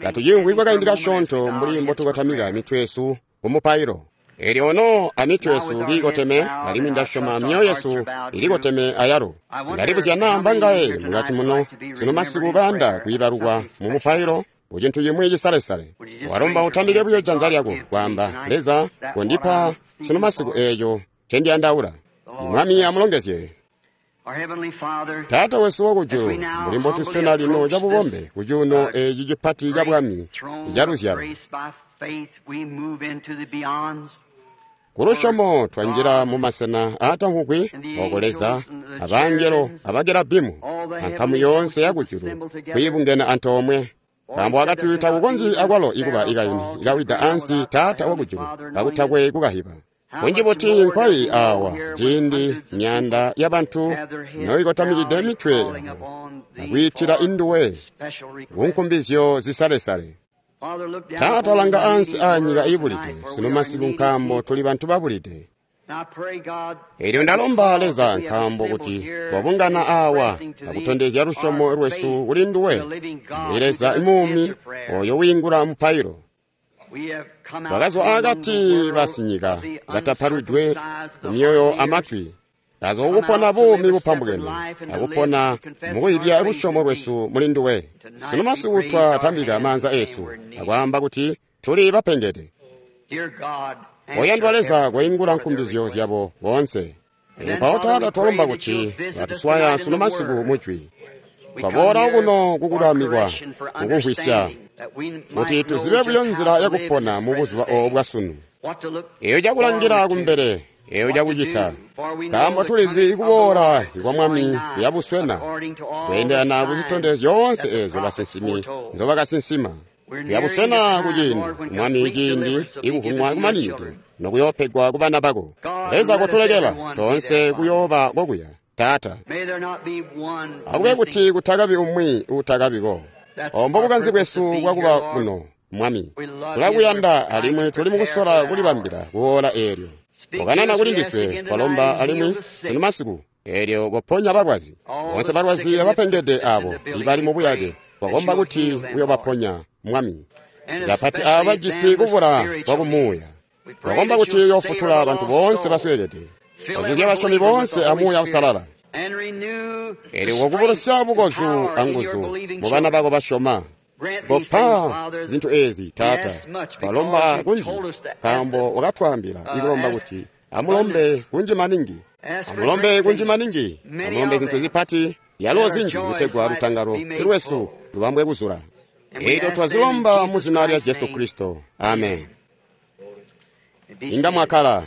Katuciimvwi kwakaindi kasyoonto mbuli mbotukotamika mitwe yesu kumupailo. Elyo ono amitwe yesu kiikoteme, alimwi ndasyoma myoyo yesu ilikoteme ayalo. Ndalibuzya naa mbangaye mukati muno sunu masiku bayanda kwiibalukwa mu mupailo ku cintu cimwi cisalesale. Walomba utambike buyo janza lyako, kwaamba, Leza, kondipa sunu masiku eeco ncendiyandaula. Mwami amulongezye. Taata wesu wakujulu, mbuli mbotuswena lino cabubombe ku cuuno eeci cipati ca bwami caluzyalo. Kulusyomo twanjila mumasena aatamvwugwi ooko Leza, abangelo, abakerabimu, ankamu yoonse yakujulu kwiibungena antoomwe. Nkaambo wakati takukonzyi akwalo ikuba ikayuni ikawida ansi Taata wakujulu kakutakwe kukahiba. Kunji buti nkwai awa ciindi myaanda yabantu noikotamikide mitwe yabo akwiitila induwe kunkumbizyo zisalesale. Taata, langa ansi aanyika iibulide sunu masiku, nkaambo tuli bantu babulide. Elyo ndalomba Leza, nkaambo kuti twabungana awa akutondezya lusyomo lwesu kuli nduwe, mbuli Leza muumi oyo wiingula mupailo. Twakazwa akati basinyika batapalwidwe kumyoyo amatwi, tazwa kukupona buumi bupambukene akupona mukuyibya lusyomo lwesu muli nduwe. Sunu masiku twatambika maanza esu akwaamba kuti tuli bapengede. Oyandwa Leza, koingula nkumbizyo zyabo boonse. Mpawo Taata, twalomba kuti batuswaya sunu masiku mujwi. Twaboola kuno kukulamikwa, kukumvwisya, kuti tuzibe buyo nzila yakupona mubuzuba oobu bwasunu, eyo cakulangila kumbele, eyo cakucita, nkaambo tulizi ikuboola kwa Mwami kuyabuswena kweendelana kuzitondezyo zyoonse eezyo basinsimi nzobakasinsima. Tuyabuswena kuciindi, Mwami, ciindi ikuvunwa kumaninide nokuyoopegwa kubana bako. Leza, kotulekela toonse kuyooba kokuya, Taata. Akube kuti kutakabi umwi uutakabiko. Obo bukanze bwesu bwakuba kuno, Mwami. Tulakuyanda alimwi tuli mukusola kulibambila kuola eelyo. Kokanana kuli ndiswe, twalomba alimwi sunu masiku, eelyo koponya balwazi. Boonse balwazi abapengede abo ibali mubuyake, twakomba kuti uyobaponya, Mwami. Kapati aabo bajisi kubula kwakumuuya. Twakomba kuti uyofutula bantu boonse basweekede. Ozuzya basyomi boonse amuuya usalala. Eelyo kokubulusya bukozu anguzu mubana bako basyoma. Kopa zintu eezi, Taata. Twalomba kunji, nkaambo wakatwaambila ikulomba kuti amulombe kunji maningi. Amulombe kunji maningi. Amulombe zintu zipati, yalo zinji kutegwa lutangalo lwesu lubambwe kuzula. Eelyo twazilomba mu zina lya Jesu Kristo. Amen. Inga mwakala.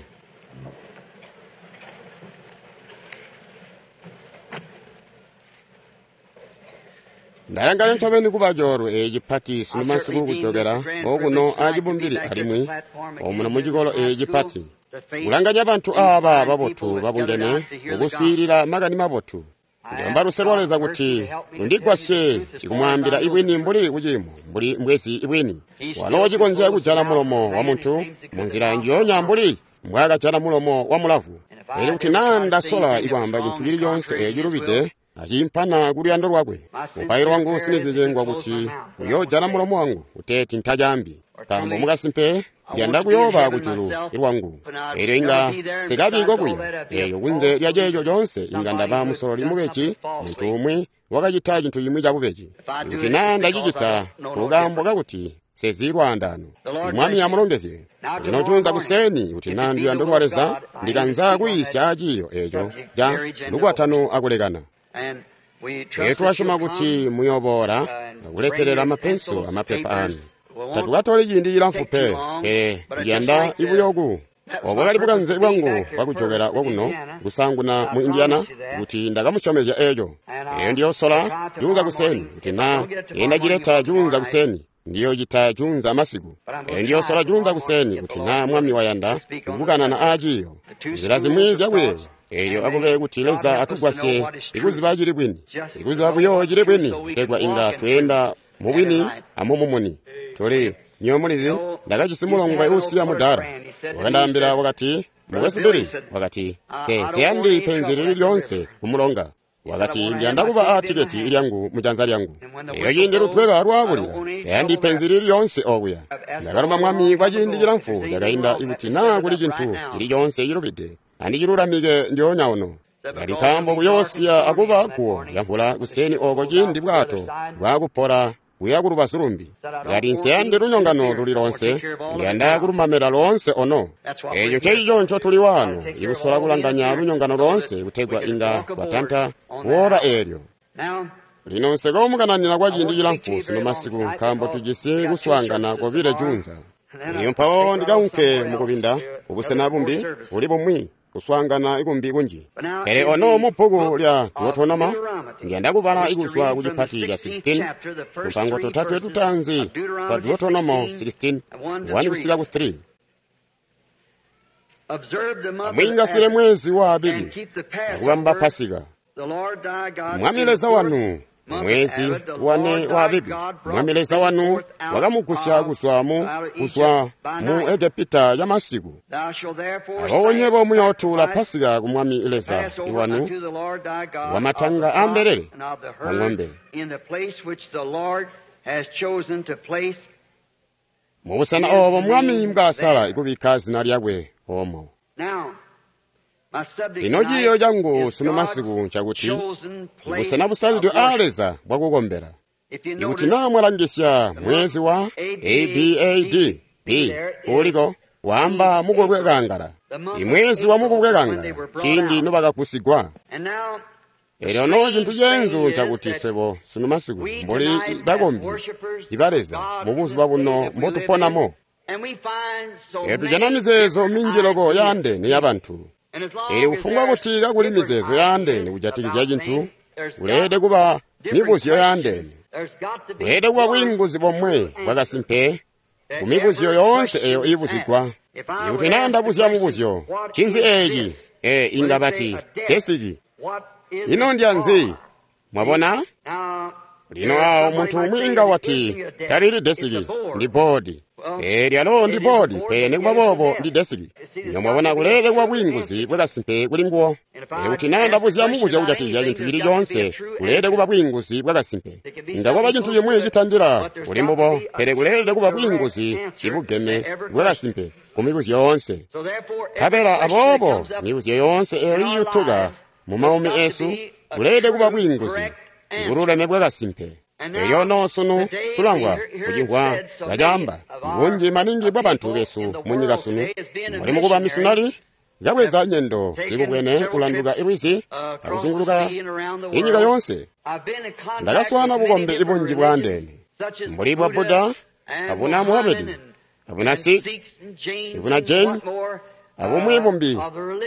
Ndalanganya ncobeni kuba coolwe eeci cipati sunu masiku kujokela okuno acibumbili alimwi omuno mucikolo eeci cipati, kulanganya bantu aaba babotu babungene mukuswiilila makani mabotu. Ndilomba luse lwa Leza kuti lundigwasye ikumwaambila ibwini mbuli kuciimo mbuli mbwezi ibwini. Walo cikonzya kujala mulomo wamuntu munzila njionya mbuli mbwaakajala mulomo wa mulavu. Pele kuti naa ndasola ikwaamba cintu cili coonse eeci cilubide, aciimpana kuluyando lwakwe, mupailo wangu usinizizye ngwa kuti uyoojala mulomo wangu kuteeti ntacaambi, nkaambo mukasimpe ndiyanda kuyooba kujulu lwangu. Eelyo inga nsikabi kokuya. Eelyo kunze lya ceeco coonse inga ndaba musololi mubeji, muntu umwi wakacita cintu cimwi cabubeji. Kuti naa ndacicita kukaambo kakuti nsezi lwaandaano. Mwami amulongezye. Lino juunza kuseeni kuti naa nduyando lwa Leza, ndikanza kuyiisya ciiyo eeco ca lukwatano akulekana. Elyo tulasyoma kuti muyooboola akuletelela mapenso amapepa aanu. Tatukatoli ciindi cilamfu pe, pele ndiyanda ibuyoku. Obo bwakali bukanze bwangu bwakujokela kwakuno kusaanguna mu Indiana, kuti ndakamusyomezya eeco. Elyo ndiyoosola juunza kuseeni, kuti naa ndacileta juunza kuseeni, ndiyoocita juunza masiku. Elyo ndiyoosola juunza kuseeni, kuti naa Mwami wayanda, kubukanana aaciiyo, nzila zimwi zyakuyeeya. Elyo akube kuti Leza atugwasye ikuziba cili bwini, ikuziba buyo cili bwini, kutegwa inga tweenda mubwini amumumuni. Tuli nywebo mulizi, ndakajisi mulongwe uusiya mudaala. Wakandaambila wakati, Mukwesu Billy, wakati, nsiyandi penzi lili lyoonse kumulonga. Wakati, ndiyanda kuba a tiketi lyangu mujanza lyangu. Elyo ciindi lutweba lwaakulila, tayandi penzi lili lyoonse okuya. Ndakalomba Mwami kwa ciindi cilamfu cakainda ikuti naa kuli cintu cili coonse cilubide, andicilulamike ndyoonya ono. Kali nkaambo kuyoosiya akuba guwo lyamvula kuseeni oko ciindi bwato bwaakupola kuya kulubazu lumbi. Kati nsiyandi lunyongano luli loonse, ndiyanda kulumamela loonse ono. Eco ncecico ncotuli waano, ikusola kulanganya lunyongano loonse kutegwa inga twatanta kuora eelyo. Lino nsekoomukananina kwa ciindi cilamfu sunu masiku nkaambo tujisi kuswaangana kobile juunza. Elyo mpawo ndikaunke mukubinda kubusena bumbi buli bumwi kuswaangana ikumbi kunji. Pele ono mu bbuku lya Deuteronoma ndiyanda kubala ikuzwa ku cipati ca 16 tupango totatwe tutaanzi twa Deuteronomo 16 1 kusika ku 3. Amwiingasile mwezi wa Abibi akubamba Pasika. Mwami Leza wanu mwezi wane wa Abibi, Mwami Leza wanu wakamugusya kuzwa mu Egepita ya masiku. Aboobo nywebo muyootuula Pasika ku Mwami Leza wanu wamatanga a mbelele a ng'ombe. Mubusena oobo Mwami mbwaasala kubikka zina lyakwe oomo. Lino ciiyo cangu sunu masiku ncakuti busena busalidwe aa Leza bwakukombela. Ikuti naa mwalangisya mwezi wa ABAD B uliko waamba mukubwe kangala. Imwezi wa mukubwe kangala ciindi nobakagusigwa. Elyo no cintu ceenzu ncakuti swebo sunu masiku mbuli bakombi iba Leza mubuzuba buno mbotuponamo. Elyo tujana mizeezo minji loko yaandeene yabantu. Elyo kufumbwa kuti kakuli mizeezo yaandeene kujatikizya cintu, kuleelede kuba mibuzyo yaandeene. Kuleelede kuba bwiinguzi bomwe bwakasimpe ku mibuzyo yoonse eyo iibuzigwa. Ikuti naa ndabuzya mubuzyo, ncinzi eeci? Inga bati, desiki. Ino ndyanzi? Mwabona? Lino awo muntu umwi inga wati, talili desiki, ndi boodi. Lyalo ndi boodi, pele nikuba boobo ndi desiki. Lino mwabona kuleelede kuba bwiinguzi bwakasimpe kuli nguwo. Ikuti naa ndabuzya mubuzyo kujatikizya cintu cili coonse, kuleelede kuba bwiinguzi bwakasimpe. Inga kwaba cintu cimwi citandila kuli mbubo, pele kuleelede kuba bwiinguzi ibugeme bwakasimpe ku mibuzyo yoonse. Nkabela aboobo mibuzyo yoonse eyo iyutuka mu maumi eesu, kuleelede kuba bwiinguzi ibululeme bwakasimpe. Elyo no sunu tulamvwa kucimvwa kacaamba bunji maningi bwa bantu besu munyika sunu mbuli mukuba misunali kabweza nyendo zikubwene kulanduka ilwizi akuzunguluka inyika yoonse. Ndakaswaana bukombi ibunji bwaandeene mbuli bwa Buddha, abuna Muhamedi, abuna Sikh, ibuna Jain, abumwi bumbi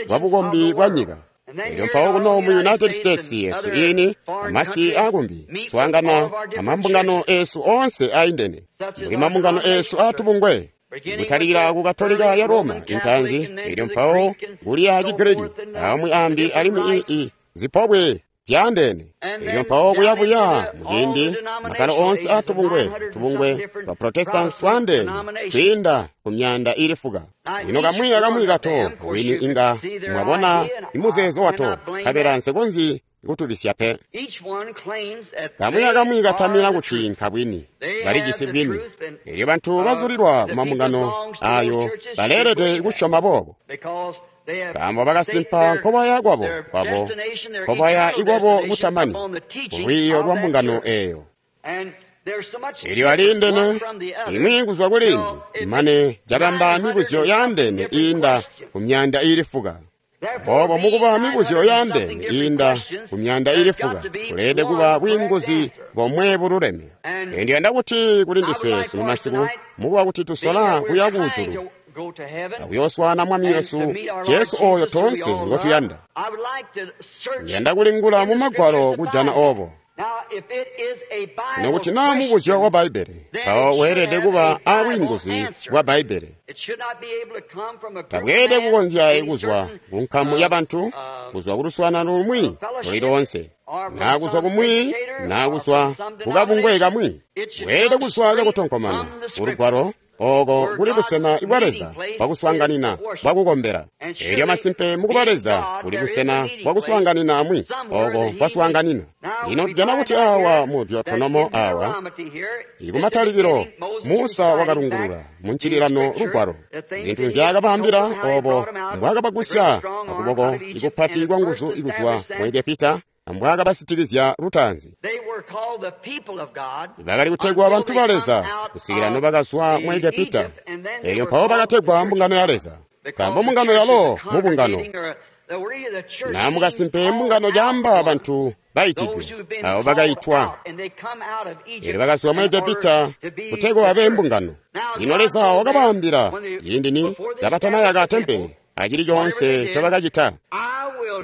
bwa bukombi bwa nyika. Elyo mpawo kuno mu United States yesu ini amasi akumbi swaangana amambungano eesu oonse aindene mbuli mambungano eesu aatubungwe kutalikila ku Katolika ya Roma intanzi, elyo mpawo kuli a Chigiriki amwi ambi alimwi zipobwe zyaandeene. Elyo mpawo kuyabuya muciindi makalo oonse aatubungwe tubungwe twa Protestants twaandeene twiinda ku myaanda ili fuka. Lino kamwi akamwi kato wini inga mwabona imuzeezo wato, nkabela nsikonzyi kutubisya pe. Kamwi akamwi katamina kuti nkabwini, balijisi bwini. Elyo bantu bazulilwa ku mambungano ayo baleelede kusyoma boobo, nkaambo bakasimpa nkobaya kwabo kwabo nkobaya ikwabo kutamani kulwiiyo lwa mbungano eyo. Elyo aliindene imwi kuzwa kulimbi, mane cabamba mibuzyo yaandeene iinda ku myaanda ili fuka. Boobo mukuba mibuzyo yaandeene iinda ku myaanda ili fuka, kuleelede kuba bwiinguzi bomwe bululeme. Elyo ndiyanda kuti kuli ndiswe sunu masiku, mukuba kuti tusola kuya kujulu akuyooswaana Mwami wesu Jesu ooyo toonse ngotuyanda. Ndiyanda kulingula mu Magwalo kujana oobo. Nokuti naa mubuzyo wa Bbaibbele, mpawo weelede kuba abwiinguzi bwa Bbaibbele. Tabweelede kukonzya kuzwa ku nkamu yabantu, kuzwa ku luswaanano lumwi luli loonse, naa kuzwa kumwi, naa kuzwa kukabungwe kamwi. Weelede kuzwa cakutonkomana kulugwalo Oko kuli busena bwa Leza bwakuswaanganina bwakukombela. Elyo masimpe mukuba Leza kuli busena bwakuswaanganina amwi oko kwaswaanganina. Lino tujana kuti awa mu Deuteronomo awa, ikumatalikilo Musa wakalungulula mu ncililano lugwalo zintu nzyaakabaambila obo mbwaakabagusya akuboko ikupati kwa nguzu ikuzwa mu Egepita ambwaakabasitikizya lutaanzi. Bakali kutegwa bantu ba Leza kusikila nobakazwa mu Egepita, elyo mpawo bakategwa mbungano ya Leza, nkaambo mbungano yalo mubungano na mukasimpe mbungano caamba bantu baitidwe abo bakaitwa, elyo bakazwa mu Egepita kutegwa babe mbungano. Lino Leza wakabaambila ciindi ni kabatanayaka tempele acili coonse ncobakacita,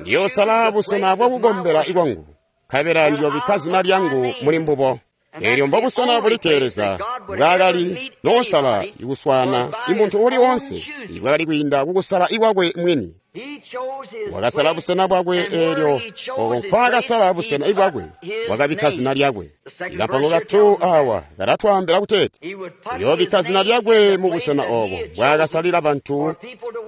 ndiyoosala busena bwakukombela ikwangu, nkabela ndiyoobikka zina lyangu muli mbubo. Elyo mbobusena bulikke Leza bwaakali noosala ikuswaana imuntu uuli woonse ibwakali kwiinda kukusala ikwakwe mwini. Wakasala busena bwakwe, eelyo oko nkwaakasala busena bwakwe wakabikka zina lyakwe. Ikampango katu awa kalatwaambila kuteeti uyoobikka zina lyakwe mu busena obo bwaakasalila bantu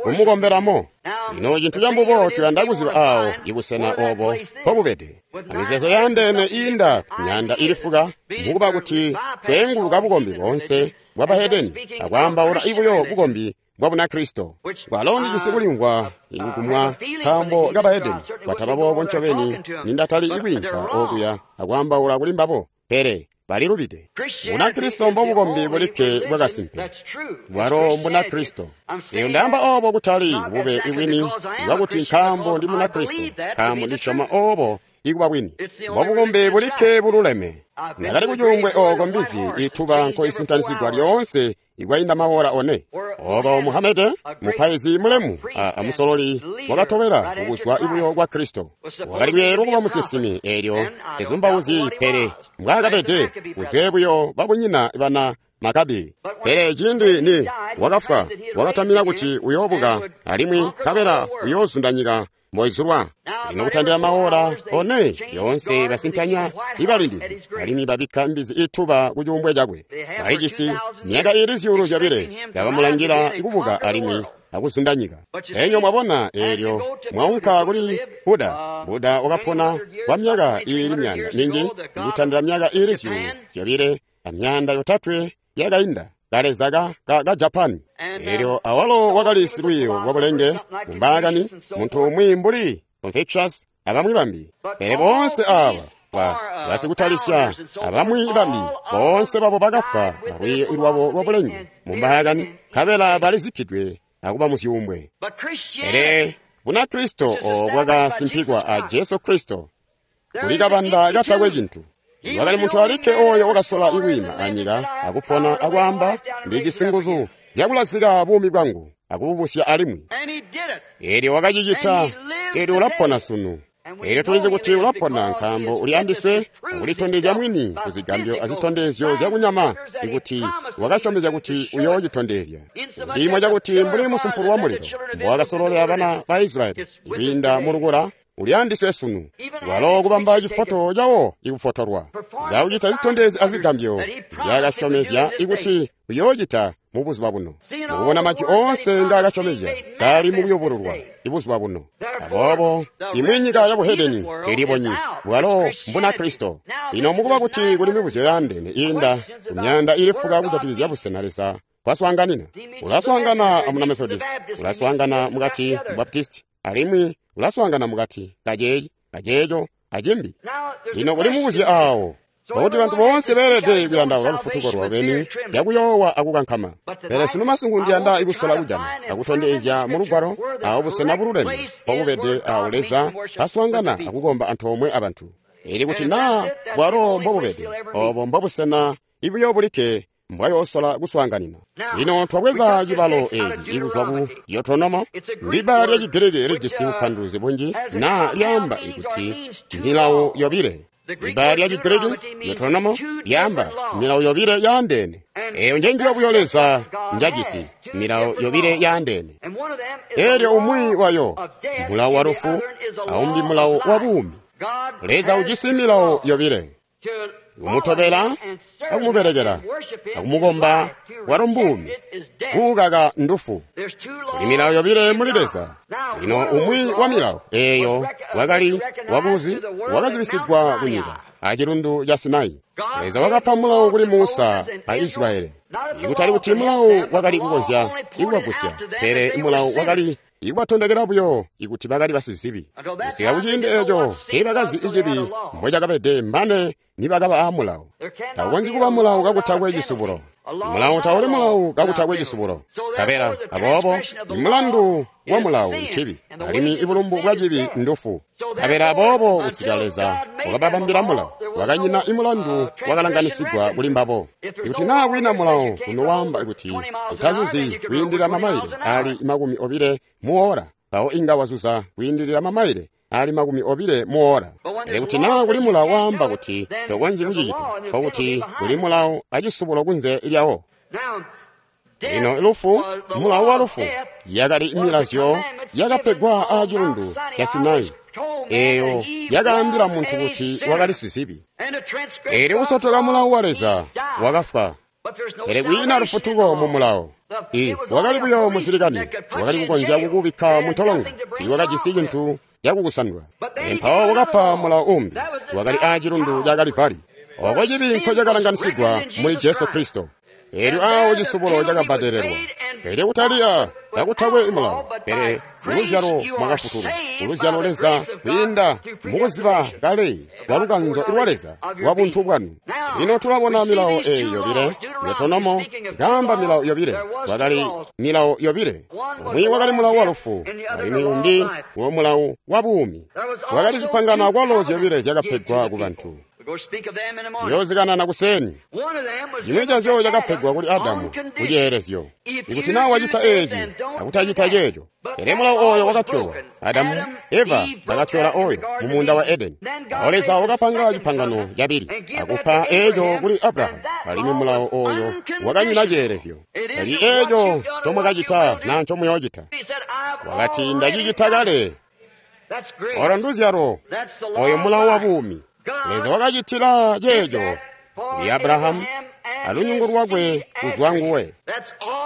kumukombelamo. Lino cintu cambubo tuyanda kuziba awo ibusena obo mpobubede. Amizeezo yaandeene iinda kumyaanda ili fuka mukuba kuti tweenguluka bukombi boonse bwa bahedeni akwaambaula ibuyo bukombi bwa Bunakristo. Kwalo ndijisi kulimvwa ikukumwa nkaambo ka bahedeni kwataba boobo ncobeni nindatali ikwiinka okuya akwaambaula kuli mbabo, pele balilubide. Bunakristo mbobukombi bulikke bwakasimpe, bwalo Mbunakristo. Eyo ndaamba obo kutali bube ibwini bwakuti nkaambo ndi Munakristo, nkaambo ndisyoma obo ikuba bwini. Mbobukombi bulikke bululeme. Ndakali kucuumbwe oko mbizi ituba nkoisintanizigwa lyoonse ikwainda maora one. Oko Muhamede, mupaizi mulemu amusololi wakatobela kukuzwa ibuyo kwa Kristo, wakali kuyeeyelwa kuba musinsimi, eelyo tezumbauzyi pele mbwaakabede kuzwe buyo babunyina bana Makabi. Pele ciindi ni wakafwa, wakatamina kuti uyoobuka alimwi nkabela uyoozunda nyika mboizulwa. Lino kutandila maora one yoonse basintanya ibalindizi alimwi babikka mbizi ituba ku cuumbwe cakwe. Balijisi myaka iili 2,000 kabamulangila ikubuka alimwi akuzunda nyika. Enyo mwabona eelyo mwaunka kuli Buda. Buda wakapona kwa myaka iili myanda minji, ikutandila myaka iili 2,300 yakainda. Kaleza ka Japan. Elyo awalo wakali silwiiyo lwa bulenge mumbaakani, muntu umwi mbuli Confucius abamwi bambi. Pele boonse aaba basikutalisya abamwi bambi boonse babo bakafwa alwiiyo lwabo lwa bulenge mumbaakani, nkabela balizikkidwe akuba muzyuumbwe. Pele Bunakristo obo bwakasimpikwa a Jesu Kristo kuli kabanda katakwe cintu. Wakali muntu alikke oyo wakasola ikwiima anyika akupona akwaamba, ndijisi nguzu zyakulazika buumi bwangu akububusya alimwi. Elyo wakacicita, elyo ulapona sunu. Elyo tulizi kuti ulapona nkaambo uli andiswe akulitondezya mwini kuzigambyo azitondezyo zyakunyama ikuti wakasyomezya kuti uyoocitondezya. Ciimo cakuti mbuli musumpulu wa mulilo mbowakasololela bana ba Israyeli ikwiinda mulukula, uli andiswe sunu. Walo kubamba cifoto cawo ikufotolwa, kaucita zitondezyo azigambyo nzyaakasyomezya ikuti uyoocita mubuzuba buno. Mukubona majwi oonse ngaakasyomezya kali mukuyubululwa ibuzuba buno. Aboobo imwi nyika ya buhedeni tiilibonyi, bwalo Mbunakristo. Lino mukuba kuti kuli mibuzyo yaandeene iinda kumyaanda ili fuka kujatikizya busena Leza kwaswaanganina. Ulaswaangana amuna Methodist, ulaswaangana mukati Baptist, alimwi ulaswaangana mukati kaceeci, kaceeco, acimbi. Lino kuli mubuzyo aawo Pakuti bantu boonse beelede kuyandaula lufutuko lwabo beni lyakuyoowa akukankama. Pele sunu masiku ndiyanda ikusola kujana akutondezya mu Lugwalo awo busena bululeme mpobubede awo Leza aswaangana akukomba antoomwe abantu. Ili kuti naa bwalo mbobubede, obo mbobusena ibuyo bulikke mbwayoosola kuswaanganina. Lino twabweza cibalo eeci ikuzwa ku Deuteronomo, ndibbala lya Chigiriki lijisi bupanduluzi bunji naa lyaamba kuti milawo yobile. Ibbala lya Chigiriki Deuteronomo lyaamba milawo yobile yaandeene. Eeyo njenjiyo buyo Leza njajisi, milawo yobile yaandeene. Eelyo umwi wayo mulawo wa lufu, aumbi mulawo wa buumi. Leza ujisi milawo yobile. Kumutobela akumubelekela akumukomba bwalo mbuumi, kuukaka ndufu. Kuli milawo yobile muli Leza. Lino umwi wa milawo eeyo wakali wakuzi wakazibisigwa kunyika acilundu ca Sinai. Leza wakapa mulawo kuli Musa a Israeli. Ikutali kuti mulawo wakali kukonzya ikubagusya, pele mulawo wakali ikubatondekela buyo ikuti bakali basizibi. Kusika kuciindi eeco teebakazi icibi mbocakabede mane nibakaba aamulawo. Takukonzyi kuba mulawo kakutakwe cisubulo. Mulawo tauli mulawo kakutakwe cisubulo. Nkabela aboobo imulandu wa mulawo ncibi, alimwi ibulumbu bwa cibi ndufu. Nkabela aboobo kusika Leza wakababambila mulawo, wakanyina imulandu wakalanganisigwa kuli mbabo. Ikuti naa kwiina mulawo unowaamba kuti utazuzi kwiindilila mamaile aali 20 muora, mpawo inga wazuza kwiindilila mamaile aali 20 muora. Pele kuti naa kuli mulawo waamba kuti tokonzyi kucicita, nkokuti kuli mulawo acisubulo kunze lyawo. Lino lufu, mulawo wa lufu, yakali milazyo yakapegwa aacilundu ca Sinai, eeyo yakaambila muntu kuti wakali sizibi. Eelyo kusotoka mulawo wa Leza wakafwa. Pele kwiina lufutuko mu mulawo. Wakali buyo musilikani, wakali kukonzya kukubikka muntolongo, tiiwakajisi cintu cakukusandula. Pele mpawo wakapa mulawo umbi, wakali aacilundu ca Kalivari, oko cibi nkocakalanganisigwa muli Jesu Kristo. Eelyo aawo cisubulo cakabbadelelwa. Pele kutaliya kakutakwe mulawo, pele muluzyalo mwakafutulwa. Kuluzyalo Leza kwiinda mukuziba kale kwa lukanzo lwa Leza lwa buntu bwanu. Lino tulabona milawo eeyi yobile. Deuteronomo ikaamba milawo yobile. Kwakali milawo yobile. Umwi wakali mulawo wa lufu, alimwi umbi wo mulawo wa buumi. Kwakali zipangano akwalo zyobile zyakapegwa ku bantu. Tuyoozikanana kuseni. Chimwi chazyo chakapegwa kuli Adamu kuchiyeerezyo. Ikuti naa wacita eeci akutacita ceeco. Pele mulawo ooyo wakatyolwa. Adamu, Eva bakatyola ooyo mumuunda wa Edeni. Mpawo Leza wakapanga cipangano cabili akupa eeco kuli Abrahamu, alimwi mulawo ooyo wakanyina ciyeerezyo. Tali eeco ncomwakacita naa ncomuyoocita. Wakati ndacicita kale. Olo nduzyalo, ooyo mulawo wa buumi. Leza wakacitila ceeco kuli Abrahamu alunyungu lwakwe kuzwa nguwe,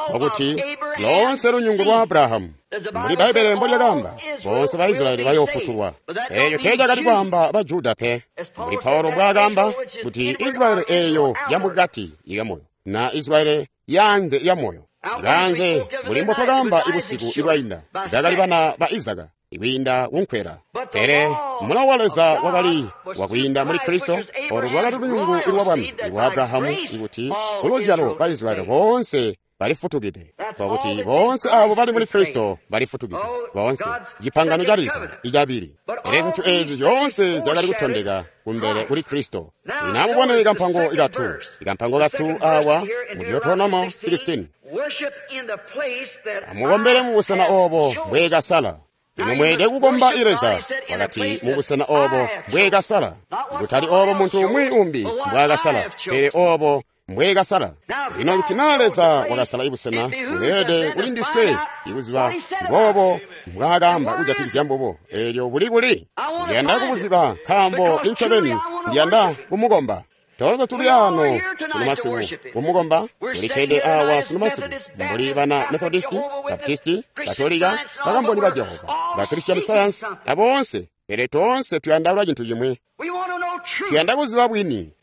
nkokuti loonse lunyungu lwa Abrahamu. Mbuli Bbaibbele mbolyakaamba, boonse ba Israyeli bayoofutulwa. Eeco teecakali kwaamba ba Juda pe. Mbuli Paulo mbwaakaamba kuti Israyeli eeyo yamukati yamoyo na Israyeli yaanze yamoyo. Yaanze mbuli mbotwakaamba ibusiku ibwainda, bakali bana ba Izaka ikwiinda kunkwela. Pele mulawo wa Leza wakali wakwiinda muli Kristo, olo lwakali lunyungu lwa bwami lwa Abrahamu, ikuti kuluzyalo ba Israyeli boonse balifutukide. Nkokuti boonse abo bali muli Kristo balifutukide, boonse cipangano ca Leza icabili. Pele zintu eezi zyoonse zyakali kutondeka kumbele kuli Kristo. Lino amubone kampango ikatu, ikampango katu awa mu Deuteronomo 16. Amukombele mubusena oobo mbweekasala. Lino mweelede kukomba Leza, wakati mubusena oobo mbweekasala. Kutali oobo muntu umwi umbi mbwaakasala, pele oobo mbweekasala. Lino kuti naa Leza wakasala ibusena, buleelede kuli ndiswe ikuziba mboobo mbwaakaamba kujatikizya mbubo. Eelyo buli kuli? Ndiyanda kubuziba, nkaambo incobeni ndiyanda kumukomba. Toonse tuli ano sunu masiku kumukomba. Tulikkede awa sunu masiku mbuli bana Methodisti, Baptisti, Katolika, Bakamboni ba Jehova, ba Christian Science, aboonse. Pele toonse tuyandaula cintu chimwi. Tuyanda kuziba bwini.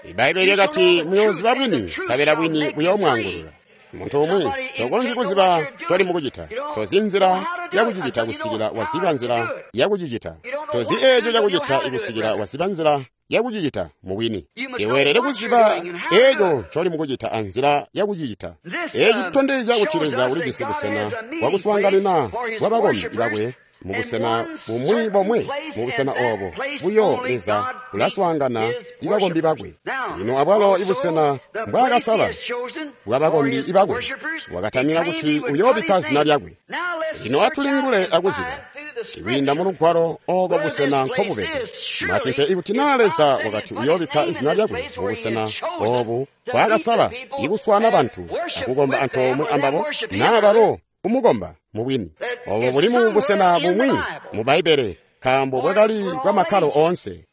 Ibbaibbele lyakati muyooziba bwini, nkabela bwini buyoomwaangulula. Muntu umwi tokonzyi kuziba ncoli mukucita. Tozi nzila yakucicita kusikila waziba nzila yakucicita. Tozi eeco cakucita kusikila waziba nzila yakucicita mubwini. Iweelede kuziba eeco ncoli mukucita anzila yakucicita. Eeci tutondezya kuti Leza ulijisi busena bwakuswaanganina bwa bakombi bakwe mubusena bumwi bomwe. Mubusena oobo buyo Leza ulaswaangana ibakombi bakwe. Lino abwalo ibusena mbwaakasala bwabakombi bakwe wakatamina kuti uyoobikka zina lyakwe. Lino atulingule akuziba kwiinda mulugwalo ooko busena nkobubede. Masimpe ikuti naa Leza wakati uyoobikka zina lyakwe mubusena oobu mbwaakasala ikuswaana bantu akukomba antoomwe ambabo naa balo kumukomba mubwini. Oobo buli mu busena bumwi mu Bbaibbele. nkaambo bwakali bwa makkalo oonse.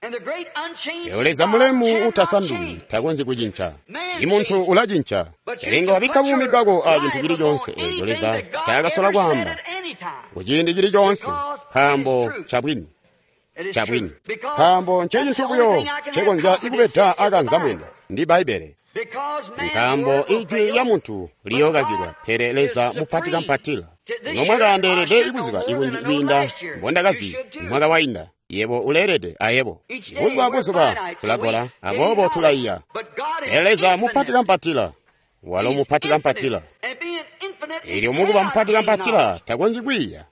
Leo Leza mulemu utasanduki takonzyi kucinca. Imuntu ulacinca, pele inga wabikka buumi bwako a cintu cili coonse eeco Leza ncaakasola kwaamba kuciindi cili coonse, nkaambo ncabwini. Ncabwini, nkaambo ncecintu buyo ncekonzya ikubeda akanza mwini ndi Bbaibbele. Nkaambo ijwi lya muntu liyookakilwa, pele Leza mupati kampatila. Ino mwaka ndeelede ikuziba ikunji kwiinda mbondakazi mwaka wainda. Yebo uleelede ayebo. Buzuba buzuba tulagola, aboobo tulaiya. Pele Leza mupati kampatila, walo mupati kampatila. Elyo mukuba mupati kampatila takonzyi kwiiya,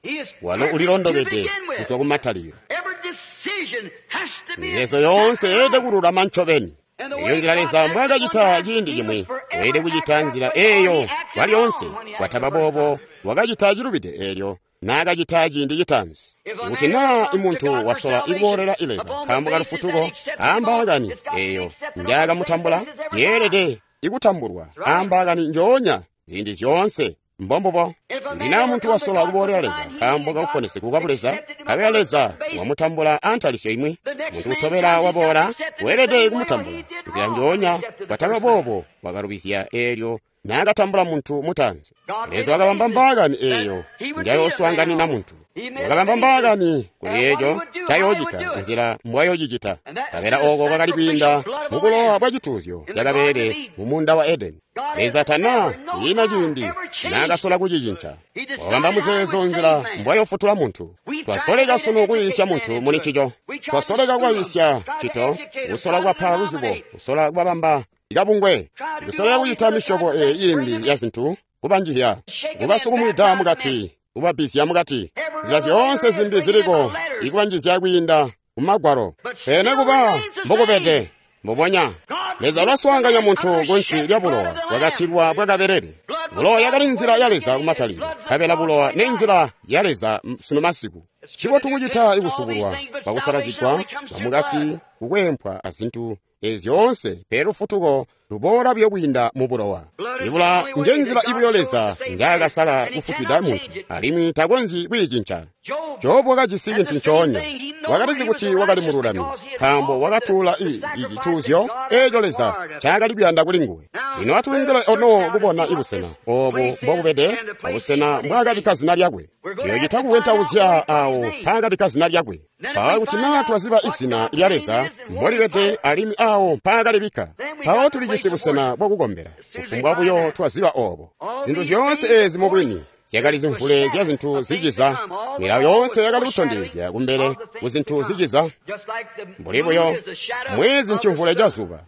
walo ulilondokede kuzwa kumatalikilo. Mizeezo yoonse yeelede kululama ncobeni. Eyo nzila Leza mbwaakacita ciindi cimwi, weelede kucita nzila eeyo kwalyoonse. Kwataba boobo wakacita cilubide eelyo naakacita ciindi citaanzi. Kuti naa imuntu wasola ikuboolela Leza nkaambo kalufutuko aambaakani eeyo njaakamutambula, yeelede ikutambulwa aambaakani njoonya ziindi zyoonse. Mbombubo. Kuti naa muntu wasola kuboolela Leza nkaambo kakuponesegwa kwa Buleza, nkabela Leza wamutambula antalisyo imwi, muntu utobela waboola weelede kumutambula nzila njoonya. Kwataba boobo wakalubizya eelyo naakatambula muntu mutaanzi. Leza wakabamba mbaakani eeyo njayooswaanganina muntu. Wakabamba mbaakani kuli eeco ncayoocita, nzila mbwayoocicita. Nkabela ooko kwakali kwiinda mubulowa bwa cituuzyo cakabelele mumuunda wa Edeni. Leza tana kwiina ciindi naakasola kucicinca. Wakabamba muzeezo nzila mbwayofutula muntu. Twasoleka sunu kuyiisya muntu muli ncico. Twasoleka kubayiisya cito, kusola kubapa luzibo, kusola kubabamba ikabungwe, kusoleka kucita misyobo eeyi iimbi ya zintu, kubanjihya, kubasukumwida mukati, kubabbizya mukati, nzila zyoonse zimbi ziliko ikubanjizya kwiinda mumagwalo. Pele kuba mbokubede mbubonya, Leza ulaswaanganya muntu kunsi lya bulowa bwakatilwa bwakabelele. Bulowa yakali nzila ya Leza kumatalikilo, nkabela bulowa nenzila ya Leza sunu masiku. Ncibotu kucita ikusubulwa kwakusalazigwa kwamukati, kukwempwa azintu ezi zyoonse, pele lufutuko luboola buyo kwiinda mu bulowa. Ibula njenzila ibuyo Leza njaakasala kufutwida muntu, alimwi takonzyi kwiicinca. Jobu wakajisi cintu ncoonya. Wakalizi kuti wakali mululami, nkaambo wakatuula icituuzyo eeco Leza ncaakali kuyanda kuli nguwe. Lino atulindile ono kubona ibusena oobu mbobubede, abusena mbwaakabikka zina lyakwe. Tuyoocita kukwentauzya aawo mpaakabikka zina lyakwe. Mpawo kuti naa twaziba izina lya Leza mbolibede alimwi aawo mpaakalibikka, mpawo tulijisi busena bwakukombela. Kufumbwa buyo twaziba oobo. Zintu zyoonse eezi mubwini zyakali zimvule zya zintu ziciza. Milawo yoonse yakali kutondezya kumbele ku zintu ziciza. Mbuli buyo mwezi ncimvule ca zuba,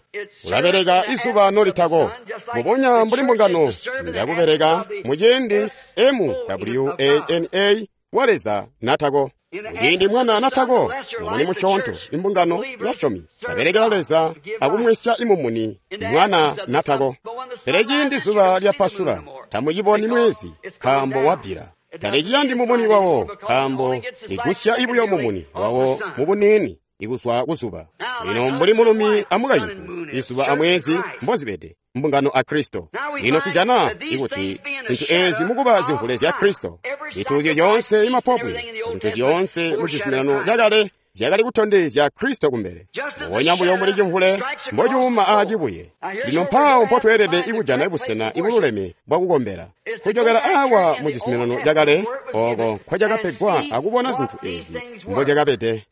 ulabeleka izuba nolitako. Mbubonya mbuli mbungano njakubeleka muciindi MWANA wa Leza natako. Muciindi mwana natako, mumuni musyoonto, imbungano basyomi babelekela Leza akumwisya imumuni mwana natako. Pele ciindi zuba lyapasula, tamuciboni mwezi nkaambo wabbila. Taliciyandi mumuni wawo nkaambo ligusya ibuyo mumuni wawo mubuniini ikuzwa kuzuba. Lino mbuli mulumi amukaintu, izuba amwezi mbozibede, mbungano a Kristo. Lino tujana ikuti zintu ezi mukuba zimvule zya Kristo, zituuzyo zyoonse imapobwe, zintu zyoonse mu cizuminano cakale zyakali kutondezya Kristo kumbele. Mbubonya buyo mbuli cimvule mbocuuma aacibuye. Lino mpawo mpotweelede ikujana busena ibululeme bwakukombela. Kujokela awa mu cizuminano cakale ooko nkwacakapegwa akubona zintu ezi mbozyakabede.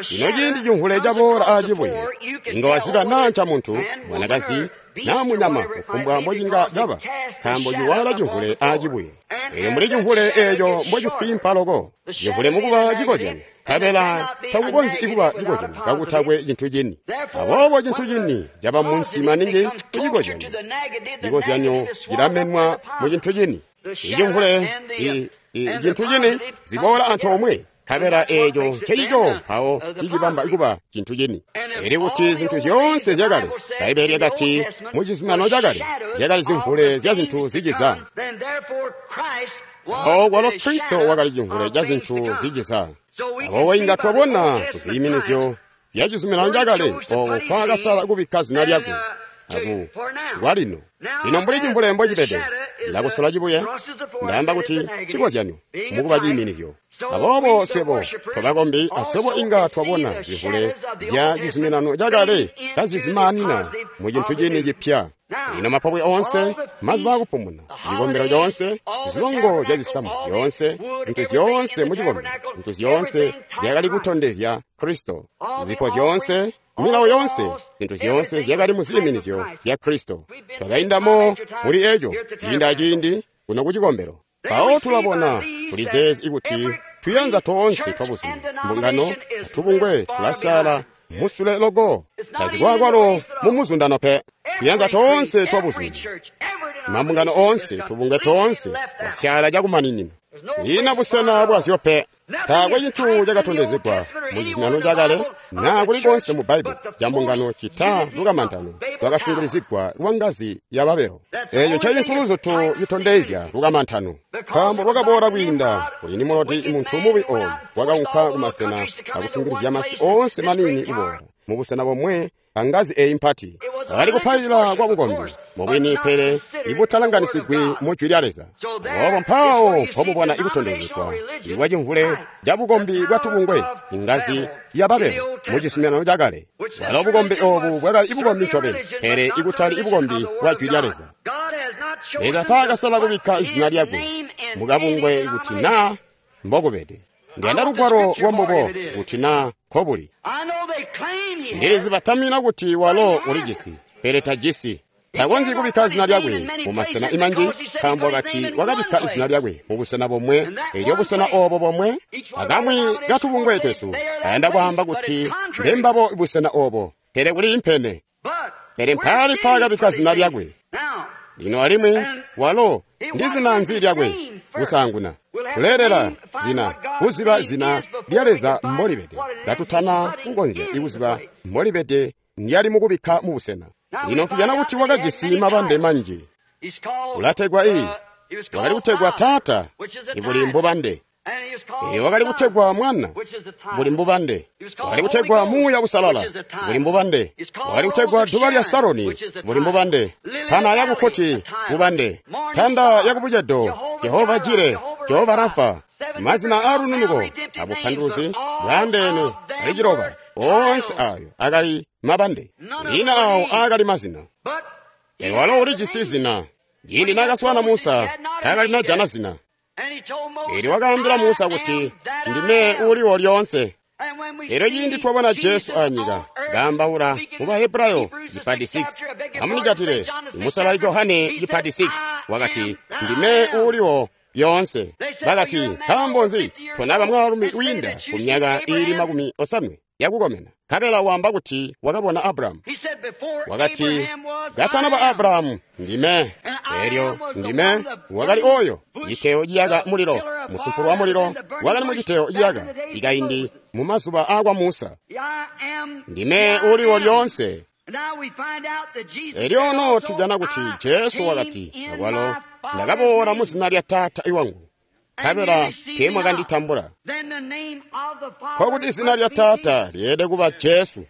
Lino ciindi cimvule caboola aacibuye, inga waziba naa nca muntu, mwanakazi, naa munyama, kufumbwa mbocinga caba, nkaambo ciwala cimvule aacibuye. Elyo mbuli cimvule eeco mbocifwimpa loko, cimvule mukuba cikozyanyo, nkabela takukonzyi ikuba cikozyanyo kakutakwe cintu cini. Aboobo cintu cini caba munsi maningi kucikozyanyo. Cikozyanyo cilamenwa mu cintu cini. Icimvule, cintu cini ziboola antoomwe, nkabela eeco ncecico mpawo cicibamba kuba cintu cini. Eli kuti zintu zyoonse zyakale, Bbaibbele lyakati mu cizuminano cakale zyakali zimvule zya zintu ziciza. Mpawo kwalo Kristo wakali cimvule ca zintu ziciza. Aboobo inga twabona kuziyiminizyo zya cizuminano cakale ooko nkwaakasala kubikka zina lyakwe. aku kwalino. Lino mbuli cimvule mbocibede, ndakusola cibuye, ndaamba kuti cikozyanyo mukuba ciiminizyo. Aboobo swebo tobakombi aswebo inga twabona zimvule zya cizuminano cakale kazizimaanina mu cintu cini cipya. Lino mapobwe oonse, mazuba akupumuna, cikombelo coonse, zilongo zya zisamu zyoonse, zintu zyoonse mu cikombelo, zintu zyoonse zyakali kutondezya Kristo. Zipo zyoonse, milawo yoonse, zintu zyoonse zyakali mu ziiminizyo zya Kristo. Twakaindamo muli eco ciindi aciindi kuno ku cikombelo. Mpawo tulabona kuli zeezi ikuti tuyanza toonse twabuzumi, mbungano, tubungwe tulasyaala musule loko, tazikwakwalo mu muzundano pe. Tuyanza toonse twabuzumi, mambungano oonse, tubungwe toonse twasyaala cakumaninina. Ina busena bwazyo pe. Taakwe cintu cakatondezegwa mu cizuminano cakale naa kulikonse mu Bbaibuli ca mbungano cita lukamantano lwakasungilizigwa lwa ngazi ya Babelo. Eeco ncecintu luzutu citondezya lukamantano, nkaambo lwakaboola kwiinda kuli Nimulodi, muntu mubi ooyu wakaunka kumasena akusungilizya masi oonse maniini kuboola mubusena bomwe angazi eeyi mpati. Bakali kupailila kwa bukombi mubwini, pele ibutalanganisigwi mu Jwi lya Leza. Aboobo mpawo mpomubona ikutondezegwa ikwa cimvule ca bukombi bwa tubungwe, ingazi ya Babelo mu cizuminano cakale. Bwalo bukombi oobu bwakali ibukombi ncobeni, pele ikutali ibukombi bwa Jwi lya Leza. Leza taakasala kubikka izina lyakwe mukabungwe kuti naa mbokubede. Ndiyanda lugwalo lwambubo kuti naa nkobuli. Ndilizi batamina kuti walo ulijisi, pele tajisi. Takonzyi kubikka zina lyakwe mumasena imanji, nkaambo wakati wakabikka izina lyakwe mubusena bomwe, elyo busena oobo bomwe akamwi katubungwe twesu kayanda kwaamba kuti mbembabo busena oobo, pele kuli impene. Pele mpaali mpaakabikka zina lyakwe. Lino alimwi walo ndi zina nzi lyakwe kusaanguna? Tuleelela zina, kuziba zina lya Leza mbolibede, katutana kukonzya ikuziba mbolibede ndyali mukubikka mubusena. Lino tujana kuti wakajisi mabambe manji. Ulategwa wakali kutegwa Taata, ibuli mbubande. Wakali kutegwa Mwana, buli mbubande. Wakali kutegwa Muuya Usalala, buli mbubande. Wakali kutegwa Duba lya Saroni, buli mbubande. Pana ya kukkoti, bubande. Tanda ya kubucedo, Jehova Jire, Jehova Rafa. Mazina aalununuko abupanduluzi bwaandeene ali ciloba. Oonse ayo akali mabande. Lina awo akali mazina. Pele walo ulijisi zina. Ciindi naakaswaana Musa, taakali najana zina. Elyo wakaambila Musa kuti, ndime uliwo lyoonse. Elyo ciindi twabona Jesu anyika, kaambaula mu Bahebrayo cipati 6, amunicatile musalali Johane cipati 6, wakati, ndime uliwo lyoonse. Bakati, nkaambo nzi tonaba mwaalumi wiinda ku myaka iili 80 yakukomena? Nkabela waamba kuti wakabona Abrahamu. Wakati, katanaba Abrahamu, ndime. Elyo ndime wakali oyo citeyo ciyaka mulilo, musumpulu wa mulilo wakali mu citeyo ciyaka ikaindi mu mazuba aakwa Musa. Ndime uliwo lyoonse. Elyo ono tujana kuti Jesu wakati, akwalo ndakaboola mu zina lya Taata iwangu, nkabela teemwakanditambula. Nkokuti izina lya Taata lyeelede kuba Jesu.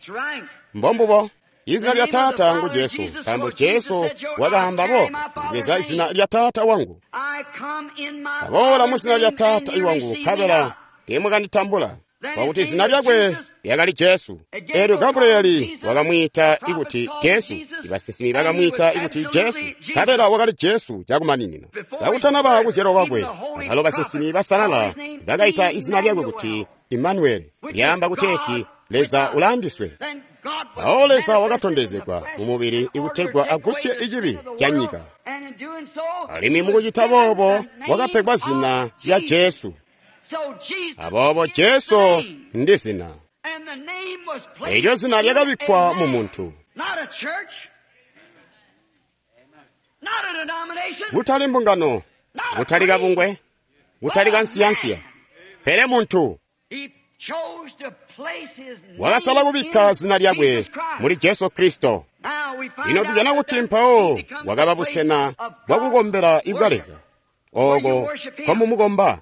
Mbombubo, izina lya Taata ngu Jesu, nkaambo Jesu wakaamba boobo, ndibweza izina lya Taata wangu. Ndaboola mu zina lya Taata iwangu, nkabela teemwakanditambula. Kwakuti izina lyakwe lyakali Jesu. Elyo Gabriyeli wakamwiita ikuti Jesu, ibasinsimi bakamwiita ikuti Jesu, nkabela wakali Jesu cakumaninina. Kakutanaba kuzyalwa kwakwe, abalo basinsimi basalala bakaita izina lyakwe kuti Imanueli, lyaamba kuteeti Leza ulaandiswe. Mpawo Leza wakatondezegwa mu mubili ikutegwa agusye icibi ca nyika. Alimwi mukucita boobo wakapegwa zina lya Jesu. Aboobo Jesu ndi zina. Elyo zina lyakabikkwa mu muntu. Kutali mbungano, kutali kabungwe, kutali kansiyansiya, pele muntu. Wakasala kubikka zina lyakwe muli Jesu Kristo. Lino tujana kuti mpawo wakaba busena bwakukombela ibwa Leza, ooko nkomumukomba.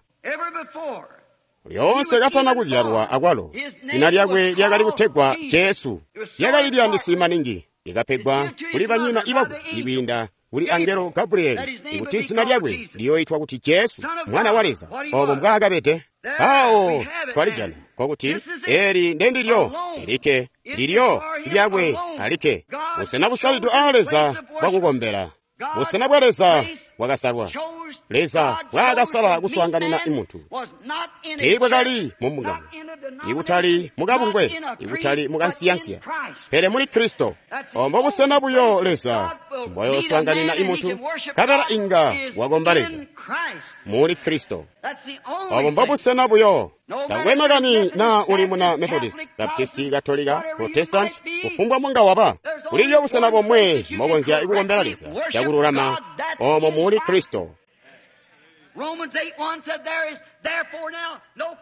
Lyoonse katana kuzyalwa akwalo, zina lyakwe lyakali kutegwa Jesu. Lyakali liyandisi maningi. Ikapegwa kuli banyina ibakwe ikwiinda kuli angelo Gabrieli, ikuti zina lyakwe liyoitwa kuti Jesu, mwana wa Leza. Obo mbwaakabede. Awo twalijana kokuti eli ndendilyo lilikke lilyo lyakwe alikke, busena busalidwe aa Leza bwakukombela, busena bwa Leza bwakasalwa. Leza bwaakasala kuswaanganina imuntu tiibwakali mu mbungano, ikutali mukabungwe, ikutali mukansiyansiya, pele muli Kristo. Ombo busena buyo Leza mbwayoswaanganina imuntu, kabela inga wakomba Leza muli Kristo. Obo mbobusena buyo. Takwe makani na uli muna Methodist, Baptist, Katolika, Protestant, kufumbwa munga waba, kuliyo busena bomwe mokonzya ikukombela Leza cakululama, omo muli Kristo.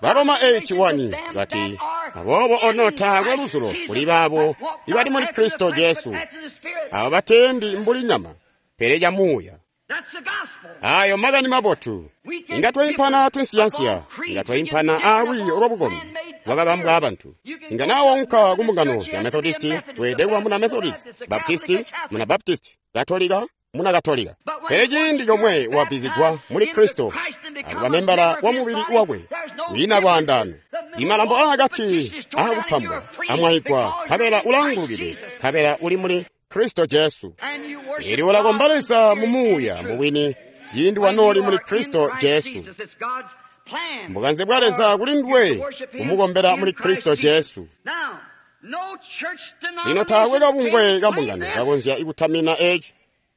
Baroma 8:1 bati, aboobo ono taakwe luzulo kuli baabo ibali muli Kristo Jesu, abo batendi mbuli nyama, pele ca muuya. Ayo makani mabotu. Inga twaimpana tunsiyansiya, inga twaimpana aalwiiyo lwabukombi lwakabambwa abantu. Inga nawaunka ku mbungano ya Methodist, weelede kuba muna Methodist, Baptist, muna Baptist, Katolika, muna Katolika. Pele ciindi comwe wabbizigwa muli Kristo akuba membala wa mubili wakwe, kwiina lwaandaano. Imalambo aakati aakupambwa amwaigwa, nkabela ulaangulukide, nkabela uli muli Kristo Jesu. Ili ulakomba Leza mu muuya mubwini ciindi wanooli muli Kristo Jesu. Mbukanze bwa Leza kuli nduwe kumukombela muli Kristo Jesu. Lino taakwe kabungwe ka mbungano kakonzya ikutamina eci.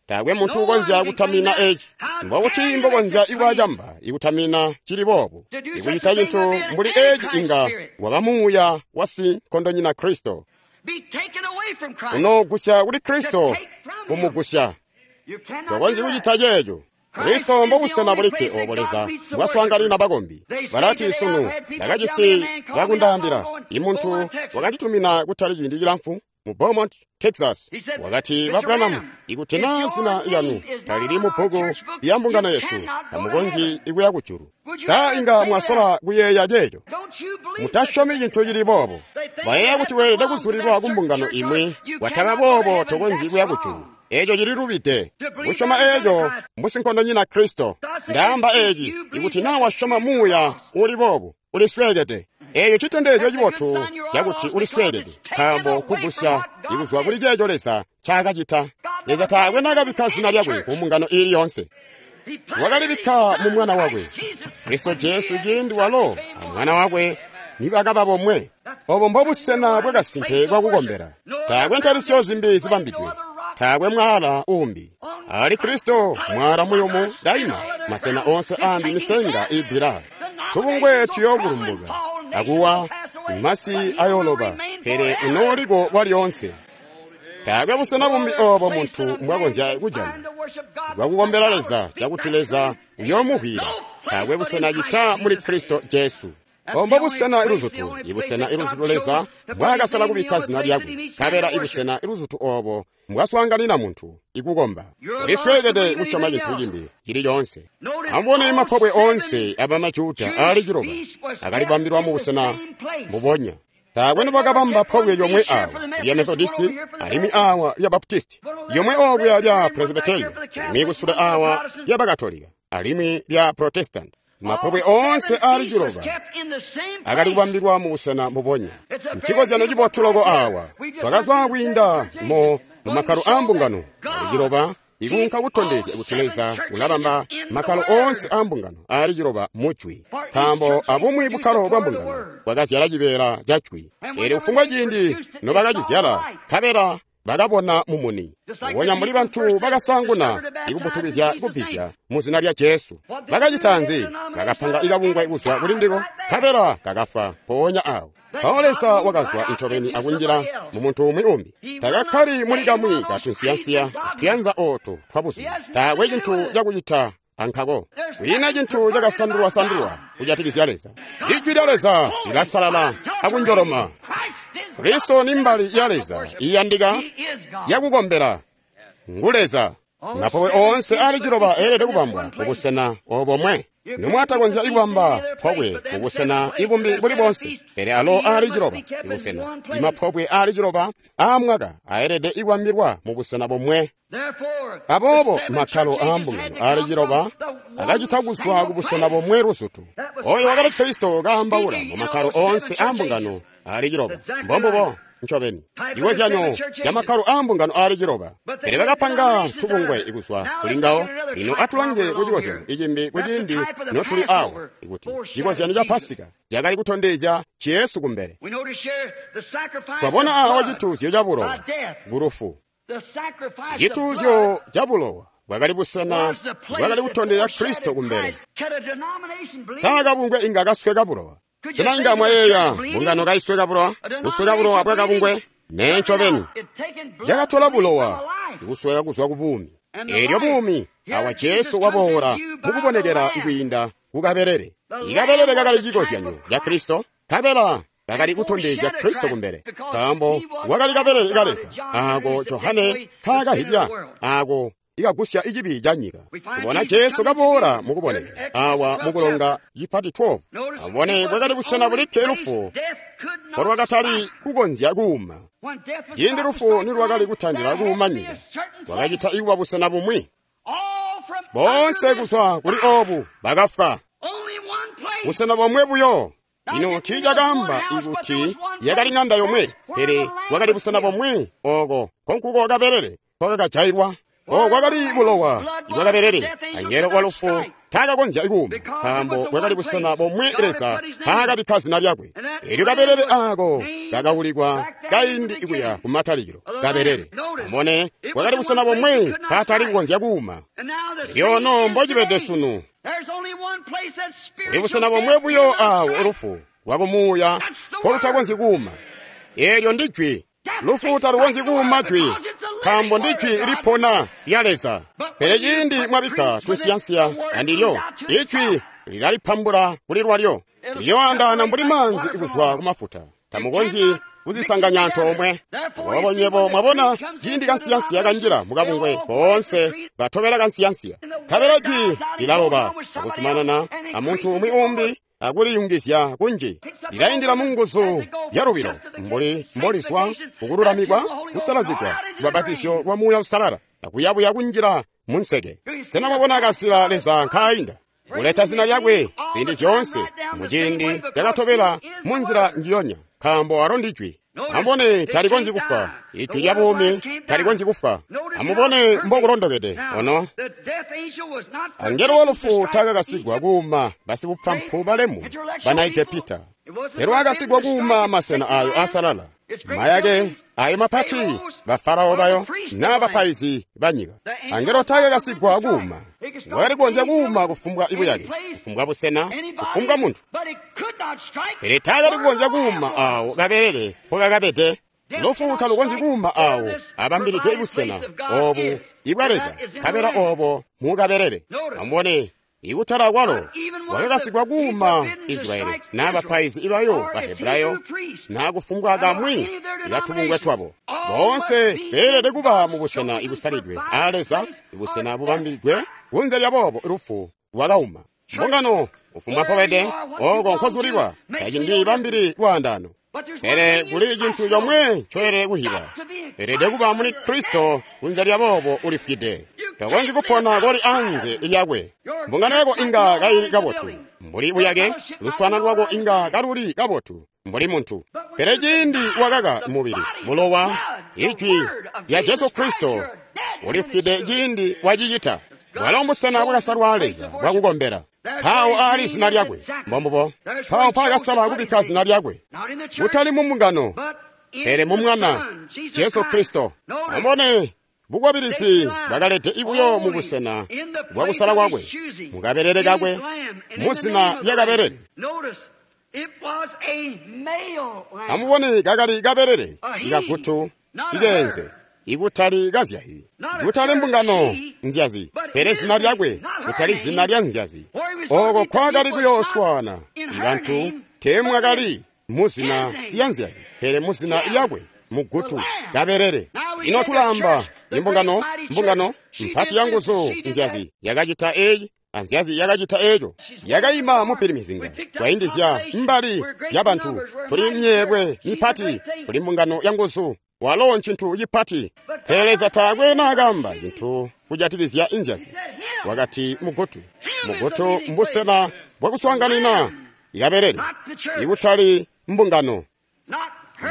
Taakwe muntu ukonzya kutamina eci. Mbokuti mbokonzya ikwacamba ikutamina cili boobu. Ikucita cintu mbuli eci inga waba muuya wa sinkondonyina Kristo. Unogusya kuli Kristo kumugusya. Tokonzyi kucita ceeco. Kristo mbobusena bulikke obo Leza mbwaswaanganina bakombi. Balati sunu ndakajisi bakundaambila, imuntu wakanditumina kutali ciindi cilamfu mu Beaumont, Texas. Wakati, ba Branham, ikuti naa zina lyanu talili mu bbuku lya mbungano yesu, tamukonzyi ikuya kujulu. Sa inga mwasola kuyeeya ceeco? Mutasyomi cintu cili boobo. Bayeeya kuti weelede kuzulilwa ku mbungano imwi, wataba boobo tokonzyi kuya kujulu. Eeco cililubide. Kusyoma eeco mbusinkondonyina Kristo. Ndaamba eeci, ikuti naa wasyoma muuya uli boobu, ulisweekede. Eeco citondezyo cibotu cakuti ulisweekede, nkaambo nkugusya ikuzwa kuli ceeco Leza ncaakacita. Leza taakwe naakabikka zina lyakwe ku mbungano iili yoonse. Wakalibikka mu Mwana wakwe, Kristo Jesu, ciindi walo a Mwana wakwe nibakaba bomwe. Obo mbobusena bwakasimpe bwakukombela. Taakwe ntalisyo zimbi zibambidwe. Taakwe mwaala uumbi. Ali Kristo mwaala muyumu daima, masena onse ambi misenga ibbila. Tubungwe tuyookulumbuka, akuwa masi ayooloba, pele unooliko kwalyoonse. Taakwe busena bumbi oobo muntu mbwakonzya kujana bwakukombela Leza cakuti Leza uyoomuhwila. Taakwe busena cita muli Kristo Jesu. Ombo busena iluzutu, ibusena iluzutu Leza mbwaakasala kubikka zina lyakwe, nkabela ibusena iluzutu oobo mbwaswaanganina muntu ikukomba. Ulisweekede kusyoma cintu cimbi cili coonse. Amubone mapobwe oonse abamajuda aali ciloba akalibambilwa mu busena mbubonya. Taakwe nibakabamba pobwe lyomwe awa lya Methodisti, alimwi awa lya Baptisti, lyomwe okuya lya Presbyterian, alimwi kusule awa lya Bakatolika, alimwi lya Protestant. Mapobwe oonse aali ciloba akali kubambilwa mu busena mbubonya. Nchikozyano cibotu loko awa. Twakazwa kwiinda mu makkalo aa mbungano aali ciloba ikuunka kutondezya kuti Leza ulabamba makkalo oonse aa mbungano aali ciloba mujwi, nkaambo abumwi bukkalo bwa mbungano bwakazyala cibeela ca jwi. Eelyo kufumbwa ciindi nobakacizyala, nkabela bakabona mumuni. Mbubonya mbuli bantu bakasaanguna ikuputukizya kubbizya mu zina lya Jesu. Bakacita nzi? Bakapanga ikabungwe kuzwa kuli ndiko, nkabela kakafwa mpoonya awo. Mpawo Leza wakazwa incobeni akunjila mu muntu umwi umbi. Takakkali muli kamwi katunsiyansiya tuyanza ooto twabuzuba. Taakwe cintu cakucita ankako. Kwiina cintu cakasandulwa-sandulwa kujatikizya Leza. Ijwi lya Leza lilasalala akunjoloma. Kristo ni mbali ya Leza iyandika yakukombela. Ngu Leza. Mapobwe oonse aali ciloba eelede kubambwa kubusena obomwe. Nomwatakonzya ikubamba pobwe kubusena ibumbi buli boonse, pele alo aali ciloba ibusena. Imapobwe aali ciloba aamwaka aelede ikubambilwa mubusena bomwe. Aboobo makkalo aambungano aali ciloba akacita kuzwa kubusena bomwe luzutu. Oyo wakali Kristo kaambaula mu makkalo oonse aambungano aali ciloba. Mbombubo ncobeni cikozyanyo ca makkalo aambungano aali ciloba. Pele bakapanga tubungwe kuzwa kuli ngawo. Lino atulange ku cikozyanyo icimbi kuciindi notuli awo, ikuti cikozyanyo ca Pasika cakali kutondezya Jesu kumbele. Twabona awo cituuzyo ca bulowa kulufu. Cituuzyo ca bulowa bwakali busena bwakali kutondezya Kristo kumbele. Sa kabungwe inga kasweka bulowa? Sena inga mwayeeya mbungano kaisweka bulowa? Kusweka bulowa bwa kabungwe? Nee ncobeni. Cakatola bulowa ikusweka kuzwa ku buumi. Eelyo buumi awa Jesu waboola mukubonekera kwiinda kukabelele. Ikabelele kakali cikozyanyo ca Kristo, kabela kakali kutondezya Kristo kumbele, nkaambo wakali kabelele ka Leza aako Johane kaakahibya, aako ikagusya icibi ca nyika. Tubona Jesu kaboola mukubonekera awa mukulonga cipati 12. Abone bwakali busena bulikke lufu mbolwakatali kukonzya kuuma. Ciindi lufu nilwakali kutandila kuuma nyika, bwakacita ikuba busena bumwi. Boonse kuzwa kuli obu bakafwa. Busena bomwe buyo. Lino tiicakaamba ikuti yakali ŋanda yomwe, pele bwakali busena bomwe ooko nkonkuko kabelele nkokakajailwa. Ooko kwakali bulowa ibwakabelele. Angelo wa lufu taakakonzya kuuma, nkaambo bwakali busena bomwe Leza mpaakabikka zina lyakwe. Eelyo kabelele aako kakaulikwa kaindi kuya kumatalikilo, kabelele. Amubone, bwakali busena bomwe mpaatali kukonzya kuuma. Elyo mbocibede sunu. Kuli busena bomwe buyo aawo lufu lwakumuuya mpolutakonzyi kuuma. Eelyo ndi jwi. Lufu talukonzyi kuuma jwi, nkaambo ndi jwi lipona lya Leza. Pele ciindi mwabikka tunsiyansiya andilyo, ijwi lilalipambula kuli lwalyo. Liyoandaana mbuli maanzi kuzwa ku mafuta. Tamukonzyi kuzisanganya antoomwe. Aboobo nywebo mwabona ciindi kansiyansiya kanjila mukabungwe, boonse batobela kansiyansiya. Nkabela jwi lilaloba akuzumanana amuntu umwi umbi akuliyungizya kunji. Lilaindila mu nguzu yalubilo mbuli mbolizwa kukululamikwa, kusalazigwa, lubbapatizyo lwa Muuya Uusalala, akuyabuya kunjila munseke. Sena mwabona kasila Leza nkaayinda kuleta zina lyakwe ziindi zyoonse muciindi cakatobela munzila njiyonya, nkaambo alo ndi jwi. Amubone, talikonzyi kufwa. Ijwi lya buumi talikonzyi kufwa. Amubone mbokulondokede ono. Angelo wa lufu taakakasigwa kuuma basibupampu balemu bana Egepita. Pele wakasigwa kuuma masena ayo aasalala, mayake ayo mapati, bafarao bayo naa bapaizi banyika. Angelo taakakasigwa kuuma. Wakali kukonzya kuuma kufumbwa ibuyake, kufumbwa busena, kufumbwa muntu. Pele taakali kukonzya kuuma awo kabelele mpokakabede. Lufu talukonzyi kuuma awo abambilidwe ibusena obu ibwa Leza, nkabela obo mukabelele. Amubone, ikutala kwalo wakakasigwa kuuma Israyeli naa bapaizi ibayo Bahebrayo naa kufumbwa kamwi ikatubungwe twabo. Boonse beelede kuba mubusena ibusalidwe a Leza, ibusena bubambilidwe. Kunze lyaboobo lufu lwakauma mbungano kufumbwa mpobede ooko nkozulilwa tacindibambili lwaandaano. Pele kuli cintu comwe ncoelele kuhiba, elede kuba muli Kristo. Kunze lyaboobo ulifwide, takonzyi kupona koli anze lyakwe. Mbungano yako inga kaili kabotu mbuli buyake, luswana lwako inga kaluli kabotu mbuli muntu, pele ciindi wakaka mubili, bulowa, ijwi lya Jesu Kristo, ulifwide ciindi wacicita. Bwalo mbusena bwakasalwa Leza bwakukombela. Mpawo aali zina lyakwe. Mbombubo. Mpawo mpaakasala kubikka zina lyakwe, kutali mu mbungano, pele mu Mwana, Jesu Kristo. Amubone, bukwabilizi bwakalede ibuyo mu busena bwakusala kwakwe, mukabelele kakwe, mu zina lya kabelele. Amubone, kakali kabelele ikagutu ikeenze, ikutali kazyahi, kutali mbungano nzyazi, pele zina lyakwe, kutali zina lya nzyazi. Oko kwakali kuyooswana ibantu teemwakali mu zina lya nzyazi, pele mu zina lyakwe, mugutu kabelele. Ino tulamba Imbungano, mbungano mpati yanguzu nzyazi yakacita eeci anzyazi yakacita eeco. Yakaima mupilimizinga twaindizya mbali zyabantu. Tuli myeelwe mipati, tuli mbungano yanguzu. Walo ncintu cipati. Pele Leza taakwe naakamba cintu kujatikizya inzyazi. Wakati mugutu. Mugutu mbusena bwakuswaanganina ikabelele, ikutali mbungano,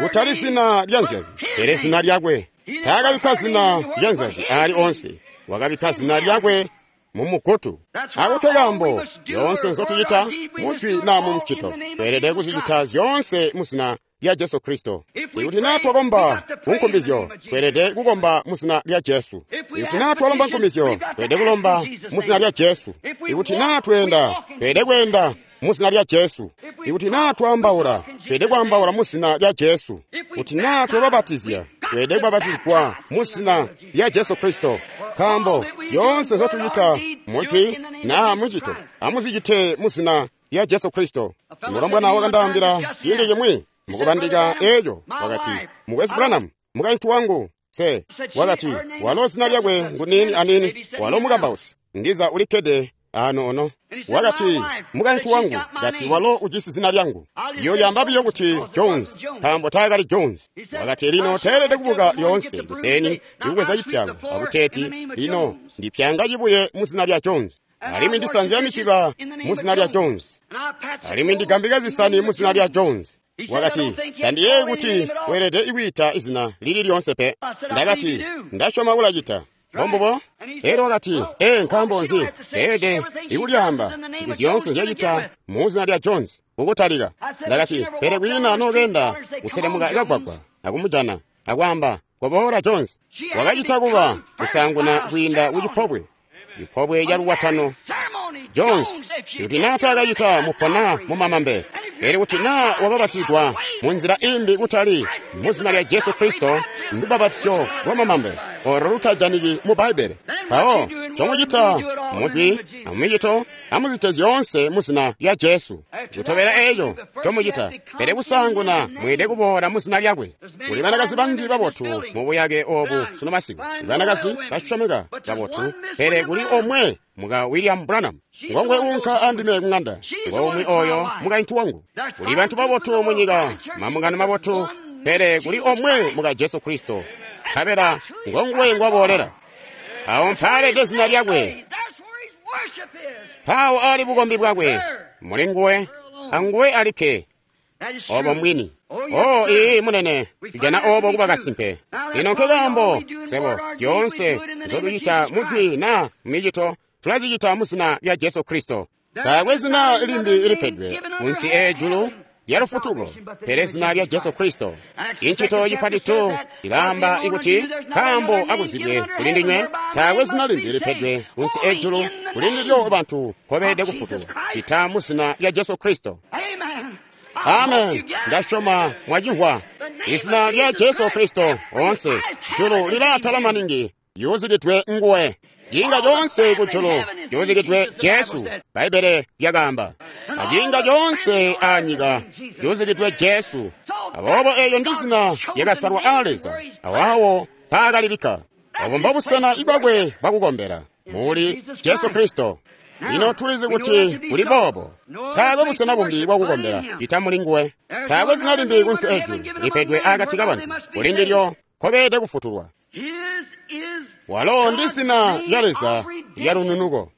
kutali zina lya nzyazi, pele zina lyakwe. Taakabikka zina lya nzyazi aali onse, wakabikka zina lyakwe mu mugutu. Ako kaambo zyoonse nzotucita mujwi naa mu mcito, tweelede kuzicita zyoonse mu zina lya Jesu Kristo. Ikuti naa twakomba kunkumbizyo, tweelede kukomba mu zina lya Jesu. Ikuti naa twalomba nkumbizyo, tweelede kulomba mu zina lya Jesu. Ikuti naa tweenda, tweelede kweenda mu zina lya Jesu. Ikuti naa twaambaula, tweelede kwaambaula mu zina lya Jesu. Kuti naa twabapatizya, tweelede kubapatizigwa mu zina lya Jesu Kristo. Nkaambo zyoonse nzotucita mujwi naa mucito, amuzicite mu zina lya Jesu Kristo. Mulombwana wakandaambila ciindi cimwi mukubandika eeco, wakati, Mukwesu Branham, mukaintu wangu se, wakati, walo zina lyakwe ngu nini anini, walo mukambausi, ndiza ulikkede ano ono. Wakati, mukaintu wangu, kati walo ujisi zina lyangu. Iyo lyamba biyo kuti Jones, nkaambo taakali Jones. Wakati lino teelede kubuka lyoonse kuseni ndikubweza cipyango akuteeti lino ndipyanga cibuye mu zina lya Jones. Alimwi ndisanzya mitiba mu zina lya Jones. Alimwi ndigambika zisani mu zina lya Jones. Wakati, tandiyeeyi kuti weelede ikwiita izina lili lyonse pe. Ndakati, ndasyoma kulacita. Mbombubo? Elyo wakati, ee, nkaambo nzi teelede ikulyaamba zintu zyoonse nzyacita mu zina lya Jones kukutalika. Ndakati, pele kwiina nokeenda kuselemuka kagwagwa akumujana akwaamba, koboola Jones. Wakacita kuba kusaanguna kwiinda kucipobwe, cipobwe ca lukwatano. Jones, kuti naa taakacita mupona mumamambe, pele kuti naa wababatizigwa mu nzila imbi kutali mu zina lya Jesu Kristo, ndubapatizyo lwa mamambe olo lutajaniki mu Bbaibbele. Mpawo ncomucita mujwi amumicito, amuzicite zyoonse mu zina lya Jesu. Kutobela eeco ncomucita, pele kusaanguna mweelede kuboola mu zina lyakwe. Kuli banakazi banji babotu mu buyake oobu sunu masiku, banakazi basyomeka babotu, pele kuli omwe muka William Branham. Ngongwe uunka andime kuŋanda, ngomwe oyo mukaintu wangu. Kuli bantu babotu mu nyika, mambungano mabotu, pele kuli omwe muka Jesu Kristo, nkabela ngonguwe ngwaboolera. Awo mpaalede zina lyakwe, mpawo ali bukombi bwakwe, muli nguwe, anguwe alikke, obo mbwini. Oh, ii munene, tujana obo kuba kasimpe. Lino nkekaambo sebo zyoonse nzotucita mujwi naa mumicito, tulazicita mu zina lya Jesu Kristo. Taakwe zina limbi lipedwe kunsi ejulu lya lufutuko, pele zina lya Jesu Kristo. Inchito cipati tu ilaamba ikuti nkaambo akuzibwe kuli ndinywe, taakwe zina limbi lipedwe kunsi ejulu kuli ndilyo bantu nkobeelede kufutulwa, cita mu zina lya Jesu Kristo. Amen. Ndasyoma mwacimvwa. Izina lya Jesu Kristo onse julu lilaatala maningi yuzikidwe nguwe. Ciinga coonse kujulu cuuzikidwe Jesu, Bbaibbele lyakaamba. Aciinga coonse aanyika cuuzikidwe Jesu. Aboobo eelyo ndi zina lyakasalwa aa Leza, awawo mpaakalibikka. Obo mbobusena ibwakwe bwakukombela muli Jesu Kristo. Lino tulizi kuti kuli boobo. Taakwe busena bumbi bwakukombela cita muli nguwe. Taakwe zina limbi kunsi ejulu lipedwe akati kabantu kuli ndilyo nkobeelede kufutulwa. Walo ndi zina lya Leza lya lununuko.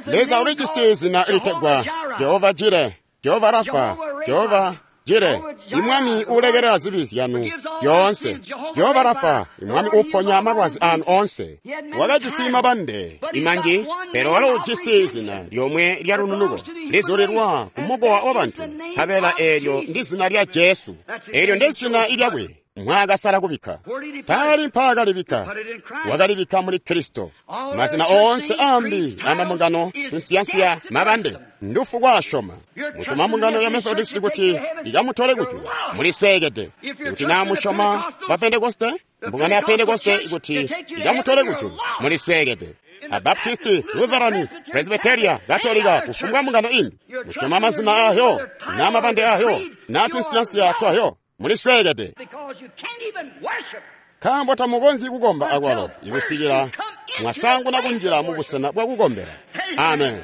Leza ulijisi zina litegwa Jehova Jire, Jehova Rafa, Jehova Jire, imwami uulekelela zibi zyanu zyoonse. Jehova Rafa, imwami uuponya malwazi anu onse. Wakajisi mabande imanji, pele walo ujisi zina lyomwe lya lununuko lizulilwa ku mukowa wa bantu, nkabela eelyo ndi zina lya Jesu. Eelyo ndi zina lyakwe mwaakasala kubikka. Paali mpaakalibikka, wakalibikka muli Kristo. Mazina oonse ambi amambungano tunsiyansiya mabande ndufu kwaashoma. Musyoma mbungano ya Methodist kuti ikamutole kujulu, mulisweekede. Kuti naa musyoma ba Pentekoste, mbungano ya Pentekoste kuti ikamutole kujulu, mulisweekede. Abaptisti, Lutherani, Presbyteria, Katolika, kufumbwa mbungano imbi, musyoma mazina ayo, na mabande ayo, na tunsiyansiya twayo, mulisweekede. Nkaambo tamukonzyi kukomba akwalo ikusikila mwasanguna kunjila mu busena bwa kukombela. Amen.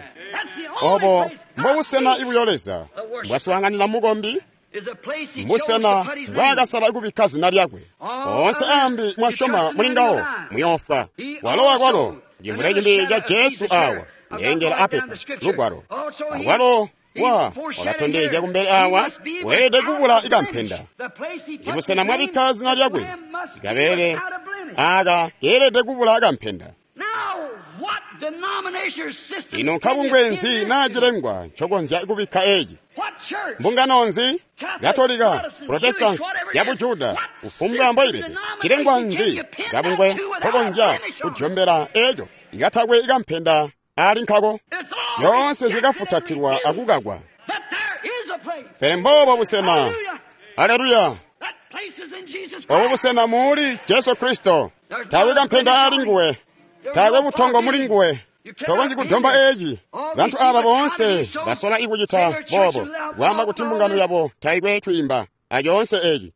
Obo mbobusena ibuyo Leza mbwaswaanganina mukombi, mbusena mbwaakasala kubikka zina lyakwe. Oonse ambi mwasyoma muli ngawo muyoofwa. Walo akwalo cimvule cimbi ca Jesu awa ndengela apepa lugwalo. Akwalo wa wakatondezya kumbele awa weelede kubula ikampenda. Ibusena mwabikka zina lyakwe ikabelele aka keelede kubula kampenda. Ino nkabungwe nzi naa cilengwa ncokonzya kubikka eci? Mbungano nzi? Katolika, Protestansi, ya Bujuda, kufumbwa mboibede, cilengwa nzi kabungwe nkokonzya kujombela eco ikatakwe ikampenda ali nkako? Zyoonse zikafutatilwa akukakwa. Pele mbobo busena. Aleluya! Obo busena muli Jesu Kristo. Taakwe kampenda ali nguwe, taakwe butongo muli nguwe. Tokonzyi kudomba eci. Bantu aba boonse basola ikucita boobo, kwaamba kuti mbungano yabo taikwe twiimba acoonse eci.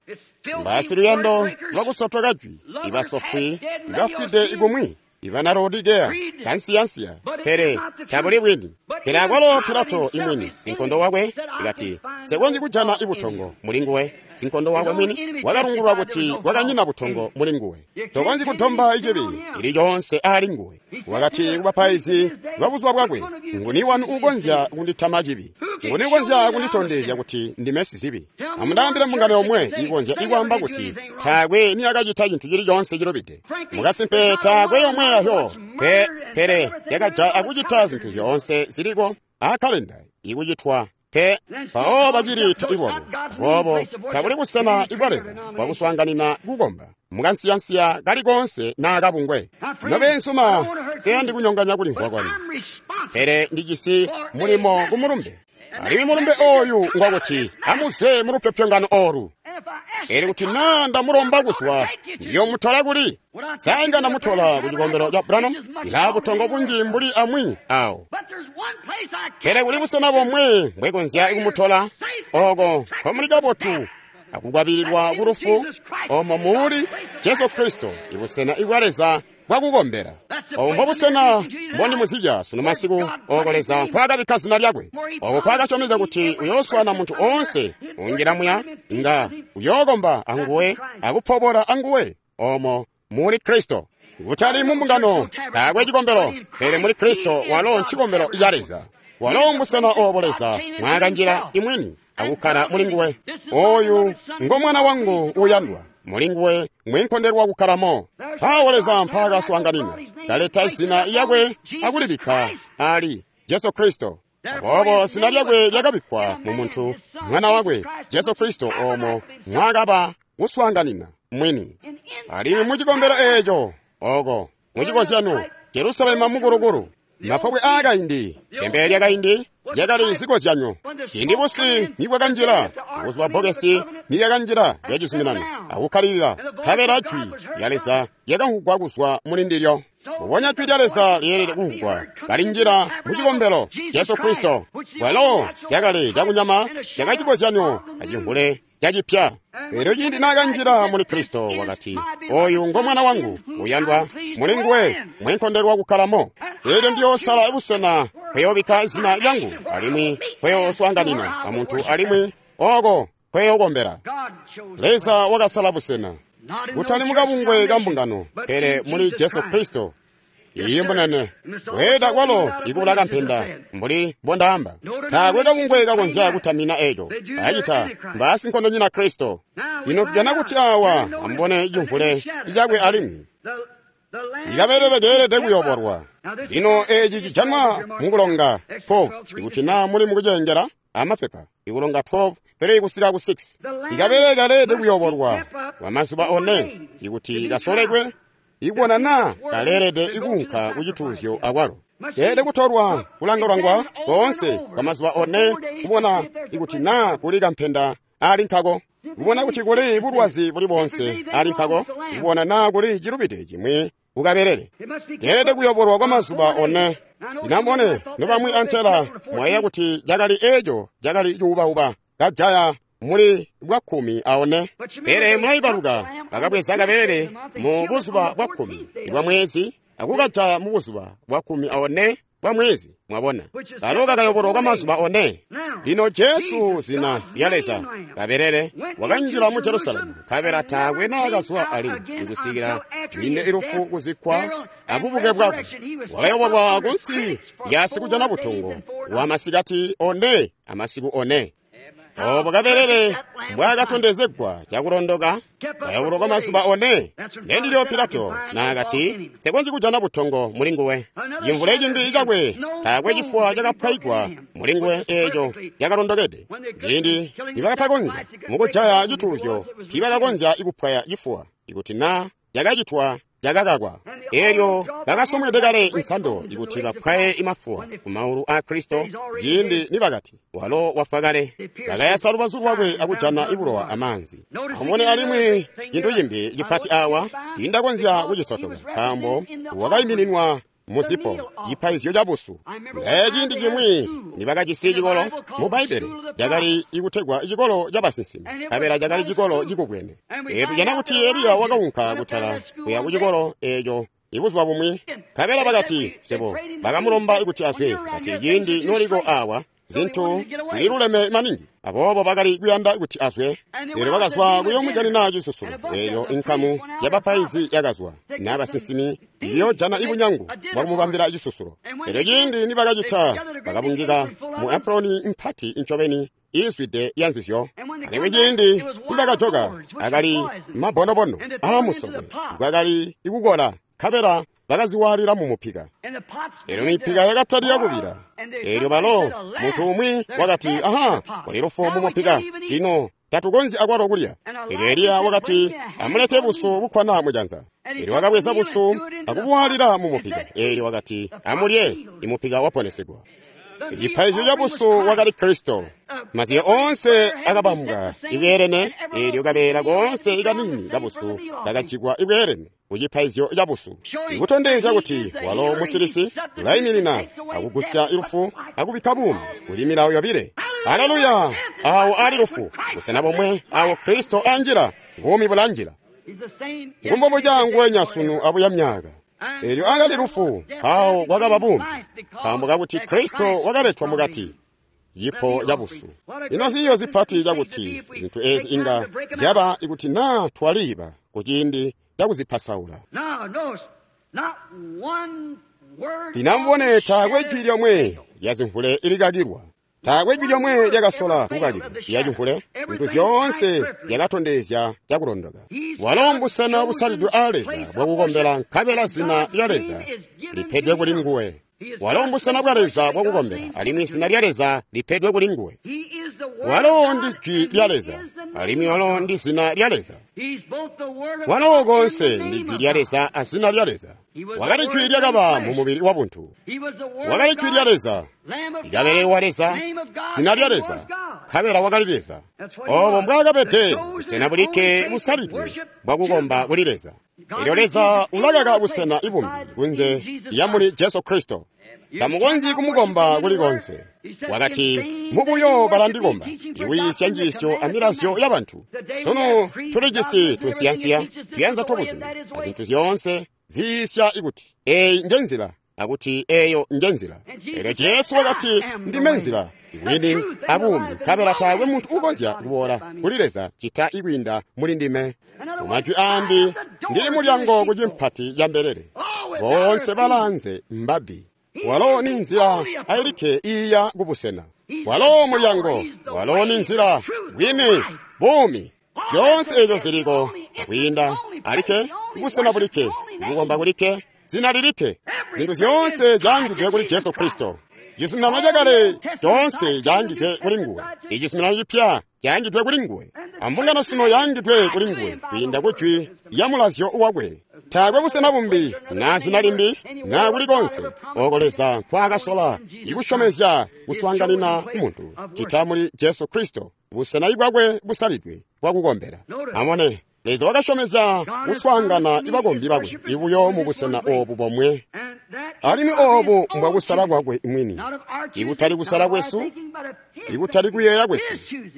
Mbasiluyando lwakusotoka jwi, ibasofwi, ibafwide ikumwi, ibana Laodikeya, kansiyansiya, pele tabuli bwini. Pele akwalo Pilato imwini, sinkondo wakwe, ikati nsekonzyi kujana ibutongo muli nguwe. Sinkondo wakwe mwini wakalungulwa kuti kwakanyina butongo muli nguwe. Tokonzyi kudomba icibi ili coonse ali nguwe. Wakati kubapaizi babuzuba bwakwe, nguni wanu uukonzya kunditama cibi? Nguni ukonzya kunditondezya kuti ndime sizibi? Amundaambile mbungano yomwe ikonzya ikwaamba kuti taakwe niyakacita cintu cili coonse cilubide. Mukasimpe taakwe yomwe yayo, pele yakajaya akucita zintu zyoonse ziliko aakkalenda ikucitwa. Pe mpawo baciliita ibobo. Aboobo tabuli busena ibwa Leza bwakuswaanganina kukomba mukansiyansiya kali koonse naa kabungwe. Nobeenzuma, siyandi kunyonganya kulimvwa kwanu, pele ndijisi mulimo kumulumbe. Alimwi mulumbe oyu ngwakuti amuzwe mulupyopyongano olu. Elyo kuti naa ndamulomba kuzwa, ndiyomutola kuli? Sa inga ndamutola ku cikombelo ca Branham? Ilaa butongo bunji mbuli amwi awo. Pele kuli busena bomwe mbwekonzya kumutola, oko nkomuli kabotu akukwabililwa ku lufu, omo muli Jesu Kristo, ibusena ibwa Leza bwakukombela. Obo mbobusena mbondimuzibya sunu masiku, oko Leza nkwaakabikka zina lyakwe, oko nkwaakasyomezya kuti uyooswana muntu oonse unjila muya, nga uyookomba anguwe akupobola anguwe, omo muli Kristo. Kutali mu mbungano, taakwe cikombelo, pele muli Kristo walo ncikombelo ca Leza. Walo mbusena obo Leza mwaakanjila imwini akukkala muli nguwe. Oyu ngo mwana wangu uuyandwa, muli nguwe mwenkondelwa kukkalamo. Mpawo Leza mpaakaswaanganina, kaleta izina lyakwe akulibikka ali Jesu Kristo. Aboobo zina lyakwe lyakabikkwa mu muntu, mwana wakwe Jesu Kristo, omo mwaakaba kuswaanganina mwini. Alimwi mu cikombelo eeco, oko mucikozyano Jerusalema mukulukulu, mapobwe aakaindi, tempele lyakaindi zyakali zikozyanyo. Ciindi busi nibwakanjila, buzuba bbokesi nilyakanjila lya cizuminano akukkalilila, nkabela jwi lya Leza lyakamvwugwa kuzwa muli ndilyo. Mbubonya jwi lya Leza lyeelede kumvwugwa kalinjila mu cikombelo Jesu Kristo, walo cakali cakunyama cakacikozyanyo acimvule cacipya. Elyo ciindi naakanjila muli Kristo wakati, oyu ngo mwana wangu uyandwa, muli nguwe mwenkondelwa kukkalamo. Elyo ndiyoosala busena nkweyoobikka zina lyangu, alimwi nkweyooswaanganina amuntu, alimwi oko nkweyokombela. Leza wakasala busena, kutali mukabungwe ka mbungano, pele muli Jesu Kristo. Iye mbonene weeda kwalo ikubula kampenda mbuli mbondaamba. Taakwe kabungwe kakonzya kutamina eco acita mbaasinkondonyina Kristo. Ino tujana kuti awa ambone cimvule cakwe alimwi ikabelele keelede kuyobolwa. Lino eci cijanwa mukulonga 12 ikuti naa muli mukucengela amapepa ikulonga 12 3 kusika ku 6. Ikabelele kaleelede kuyobolwa kwa mazuba one ikuti kasolekwe ikubona naa kaleelede ikuunka ku cituuzyo akwalo. Keelede kutolwa kulangwalangwa koonse kwa mazuba one kubona ikuti naa kuli kampenda ali nkako, kubona kuti kuli bulwazi buli boonse ali nkako, kubona naa kuli cilubide cimwi kukabelele. Keelede kuyobolwa kwa mazuba one. Linambone nobamwi antela mwayeeya kuti cakali eco cakali cuubauba kajaya muli bwa 14. Pele mulaibaluka bakabweza kabelele mu buzuba bwa 10 bwa mwezi akukajaya mu buzuba bwa 14 bwa mwezi. Mwabona, kalo kakayobolwa kwa mazuba 4. Lino Jesu, zina lya Leza, kabelele, wakanjila mu Jerusalemu, nkabela taakwe naakazwa alimwi ikusikila lwine ilufu, kuzikkwa abubuke bwakwe. Wakayobolwa kunsi lya sikujana butongo wa masikati 4 amasiku 4. Obo kabelele mbwakatondezegwa cakulondoka, kayobolwa kwa mazuba 4. Ndendilyo Pilato naakati, nsekonzyi kujana butongo muli nguwe. Cimvule cimbi cakwe taakwe cifuwa cakapwayigwa muli nguwe eeco cakalondokede. Ciindi nibakatakonzya mukujaya cituuzyo, tiibakakonzya ikupwaya cifuwa, ikuti naa cakacitwa cakakakwa. Eelyo bakasomwede kale nsando ikuti bapwaye imafuwa ku maulu a Kristo. Ciindi nibakati walo wafwa kale, bakayasa lubazu lwakwe akujana ibulowa amaanzi. Amubone alimwi cintu cimbi cipati awa, tiindakonzya kucisotoka, nkaambo wakaimininwa muzipo cipaizyo cabusu. Ngaye ciindi cimwi nibakajisi cikolo mu Bbaibbele cakali ikutegwa cikolo cabasinsimi, nkabela cakali cikolo cikubwene. Tujana kuti Eliya wakaunka kutala kuya kucikolo eeco ibuzuba bumwi, nkabela bakati sebo bakamulomba kuti azwe, kati ciindi noliko awa zintu zililuleme maningi. Aboobo bakali kuyanda kuti azwe. Eelyo bakazwa kuyoomujanina cisusulo. Eelyo inkamu yabapaizi yakazwa n'abasinsimi iyojana ibunyangu bwakumubambila cisusulo. Eelyo ciindi nibakacita, bakabungika mu Aproni mpati incobeni iizwide yanzizyo. Alimwi ciindi nibakajoka, akali mabonobono aamusokwe kwakali ikukola, nkabela bakaziwaalila mu mupika. Eelyo mipika yakatalika kubila. Eelyo balo muntu umwi wakati, aha, kuli lufu mu mupika, lino tatukonzyi akwalo kulya. Eelyo Eliya wakati, amulete busu bukkwana mujanza. Eelyo wakabweza busu akubuwaalila mu mupika. Eelyo wakati, amulye, imupika waponesegwa. Cipaizyo cabusu wakali Kristo. Maziyo onse akabambwa ibweelene. Eelyo kabeela koonse ikanini kabusu kakajikwa ibweelene kucipaizyo cabusu, ikutondezya kuti walo musilisi ulaiminina akugusya ilufu akubikka buumi. Kuli milawo yobile. Haleluya! Awo ali lufu, busena bomwe awo Kristo anjila, buumi bulanjila. Ngumbobuca nguwenya sunu abuya myaka. Eelyo akali lufu, awo kwakaba buumi, nkaambo kakuti Kristo wakaletwa mukati, cipo cabusu. Ino ziyo zipati cakuti zintu ezi inga zyaba ikuti naa twaliiba kuciindi cakuzipasaula. Linamubone taakwe jwi lyomwe lya zimvule ilikakilwa. Taakwe jwi lyomwe lyakasola kukakilwa lya cimvule. Zintu zyoonse zyakatondezya cakulondoka. Walo mbusena busalidwe aa Leza bwakukombela, nkabela zina lya Leza lipedwe kuli nguwe. Walo mbusena bwa Leza bwakukombela, alimwi zina lya Leza lipedwe kuli nguwe. Walo ndi jwi lya Leza, alimwi walo ndi zina lya Leza. Walo konse ndi jwi lya Leza a zina lya Leza. Wakali jwi lyakaba mu mubili wa buntu. Wakali jwi lya Leza, kabelele wa Leza, zina lya Leza, nkabela wakali Leza. Obo mbwaakabede busena bulikke busalidwe bwakukomba kuli Leza. Eelyo Leza ulakaka busena ibumbi kunze lya muli Jesu Kristo. Tamukonzyi kumukomba kuli konse. Wakati, mubuyo balandikomba, ikuyiisya njiisyo amilazyo yabantu. Sunu tulijisi tunsiyansiya, tuyanza twabuzumi, azintu zyoonse ziyiisya ikuti eyi nje nzila, akuti eyo nje nzila. Eelyo Jesu wakati, ndime nzila, ibwini abuumi, nkabela taakwe muntu ukonzya kuboola kuli Leza cita ikwiinda muli ndime. Mumajwi aambi, ndili mulyango ku cimpati ca mbelele. Boonse balanze mbabbi. Walo ni nzila ailikke iiya kubusena. Walo mulyango, walo ni nzila, bwini, buumi. Zyoonse eezo ziliko akwiinda alikke, busena bulikke, kukomba kulikke, zina lilikke. Zintu zyoonse zyaangidwe kuli Jesu Kristo. Cizuminano cakale coonse caangidwe kuli nguwe. Icizuminano cipya caangidwe kuli nguwe. Ambungano sino yaangidwe kuli nguwe kwiinda ku jwi lya mulazyo wakwe. Taakwe busena bumbi naa zina limbi naa kuli konse oko Leza nkwaakasola ikusyomezya kuswaanganina muntu cita muli Jesu Kristo, busena bwakwe busalidwe bwakukombela. Amone. Leza wakasyomezya kuswaangana ibakombi bakwe ibuyo mubusena oobu bomwe. Alimwi oobu mbwakusala kwakwe mwini, ikutali kusala kwesu, ikutali kuyeeya kwesu,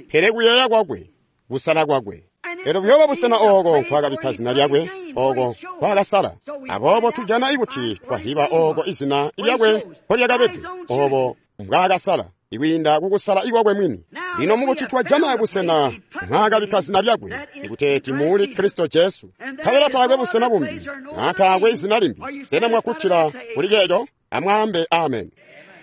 pele kuyeeya kwakwe, kusala kwakwe. Elyo buyooba busena ooko nkwaakabikka zina lyakwe, ooko nkwaakasala. Aboobo tujana ikuti twahiba ooko izina lyakwe nkolyakabede, oobo mbwaakasala, ikwiinda kukusala ikwakwe mwini. Lino mukuti twajana busena mwaakabikka zina lyakwe, ikuteeti muuli Kristo Jesu. Nkabela taakwe busena bumbi, naa taakwe izina limbi. Sena mwakkutila kuli ceeco? Amwaambe amen.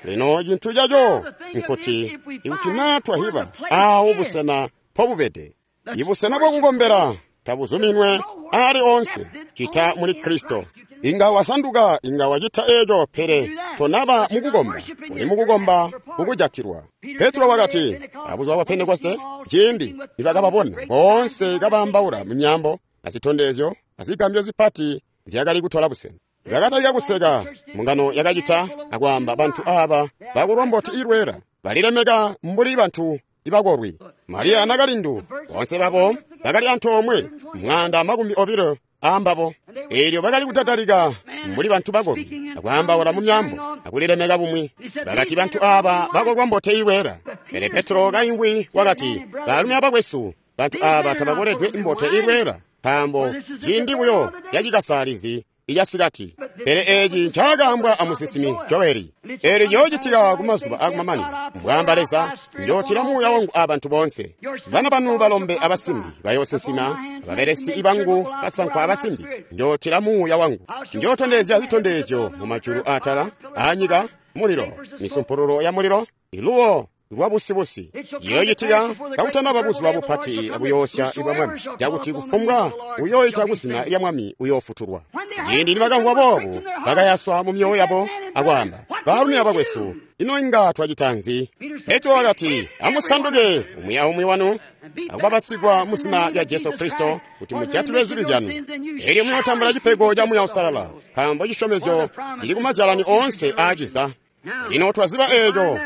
Lino cintu caco nkuti, ikuti naa twahiba aawo busena mpobubede, ibusena bwakukombela tabuzuminwe aali oonse cita muli Kristo. Inga wasanduka, inga wacita eeco, pele tonaba mukukomba, uli mukukomba kukujatilwa. Petro wakati, abuzuba bwa Pentekoste, ciindi nibakababona boonse kabaambaula mumyaambo, azitondezyo, azigambyo zipati zyakali kutola busena. Bakatalika kuseka, mbungano yakacita akwaamba bantu aaba bakulwa mboti ilweela, balilemeka mbuli bantu ibakolwi. Mariya nakalindu, boonse babo bakali antoomwe 120 aambabo. Eelyo bakali kudadalika mbuli bantu bakolwi, akwaambaula mu myaambo, akulilemeka bumwi. Bakati bantu aaba bakolwa mbote ilweela. Pele Petro kaingwi wakati, baalumi abakwesu, bantu aaba tabakoledwe imbote ilweela, nkaambo ciindi buyo cacikasaalizi icasikati. Pele eeci ncaakaambwa amusinsimi Joeli. Eelyo ciyoocitika kumazuba aakumamanino, mbwaamba Leza, njootila muuya wangu abantu boonse. Bana banu balombe abasimbi bayoosinsima, ababelesi bangu basankwa abasimbi, njootila muuya wangu. Njootondezya zitondezyo mumajulu aatala, aanyika, mulilo, misumpululo ya mulilo, iluwo lwabusibusi. Ciyoocitika kakutanaba buzuba bupati buyoosya ibwa Mwami, cakuti kufumbwa uyooita kuzina lya Mwami uyoofutulwa. Ciindi nibakamvwa boobu, bakayaswa mu myoyo yabo akwaamba, baalumi abakwesu, ino inga twacita nzi? Petro wakati, amusanduke umwi aumwi wanu akubapatizigwa mu zina lya Jesu Kristo kuti mujatilwe zibi zyanu. Eelyo muyootambula cipego ca Muuya Uusalala, nkaambo cisyomezyo cili kumazyalani oonse aaciza. Lino twaziba eeco.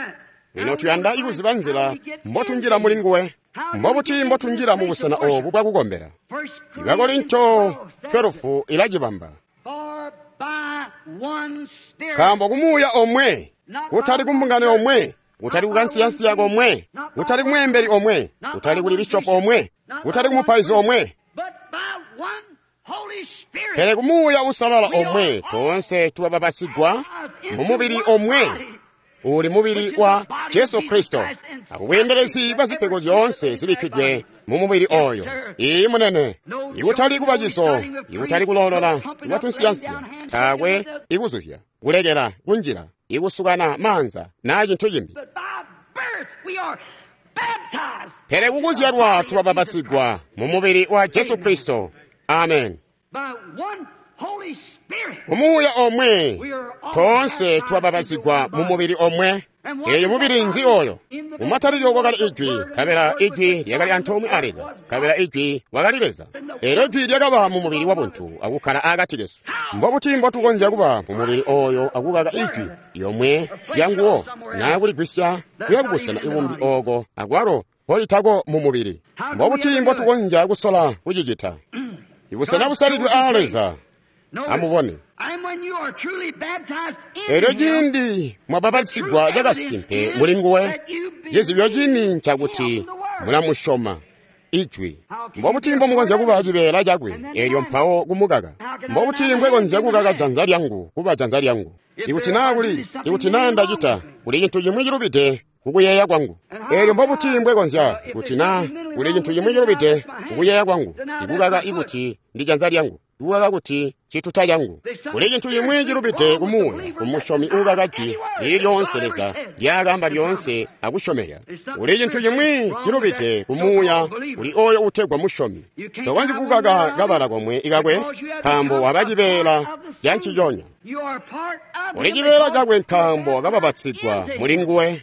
Lino tuyanda kuziba nzila mbotunjila muli nguwe. Mbobuti mbotunjila mubusena oobu bwakukombela? Ibakorinto 12 ilacibamba. Nkaambo kumuuya omwe, kutali kumbungano omwe, kutali kukansiyansiya komwe, kutali kumweembeli omwe, kutali kuli bishopu omwe, kutali kumupaizi omwe, pele kumuuya usalala omwe, toonse tulababasigwa mumubili omwe, uli mubili wa Jesu Kristo, akubweendelezi bwa zipego zyoonse zibikkidwe mu mubili oyo. Iyi munene, ikutali kubacizo, ikutali kuloolola, ikwatunsiyansiya, taakwe ikuzuzya, kulekela kunjila, ikusukana maanza naa cintu cimbi. Pele kukuzyalwa tulababatsigwa mu mubili wa Jesu Kristo. Amen. Kumuuya omwe, toonse tulababatsigwa mu mubili omwe. Eeyo mubili nzi oyo? Mumatalikilo kwakali Ijwi, nkabela Ijwi lyakali antoomwe a Leza, nkabela Ijwi wakali Leza. Eelyo Ijwi lyakaba mu mubili wabuntu akukkala akati kesu. Mbobuti mbotukonzya kuba mu mubili oyo akukaka Ijwi lyomwe lyanguwo, naa kuligwisya kuya kubusena ibumbi ooko akwalo mpolitako mu mubili? Mbobuti mbotukonzya kusola kucicita? Ibusena busalidwe aa Leza. Amubone. Eelyo ciindi mwabapatizigwa cakasimpe muli nguwe, cizibyo cini ncakuti mulamusyoma Ijwi. Mbobuti mbomukonzya kuba cibeela cakwe, eelyo mpawo kumukaka? Mbobuti mbwekonzya kukaka janza lyangu kuba janza lyangu? Ikuti naa kuli, ikuti naa ndacita, kuli cintu cimwi cilubide kukuyeeya kwangu. Eelyo mbobuti mbwekonzya, kuti naa kuli cintu cimwi cilubide kukuyeeya kwangu, ikukaka ikuti ndi janza lyangu, ikukaka kuti cituta cangu. Kuli cintu cimwi cilubide kumuuya, kumusyomi uukaka jwi lili lyoonse Leza lyaakaamba lyoonse akusyomeka. Kuli cintu cimwi cilubide kumuuya kuli oyo uutegwa musyomi. Tokonzyi kukaka kabala komwe ikakwe, nkaambo waba cibeela ca nciconya. Uli cibeela cakwe nkaambo wakababatsigwa muli nguwe.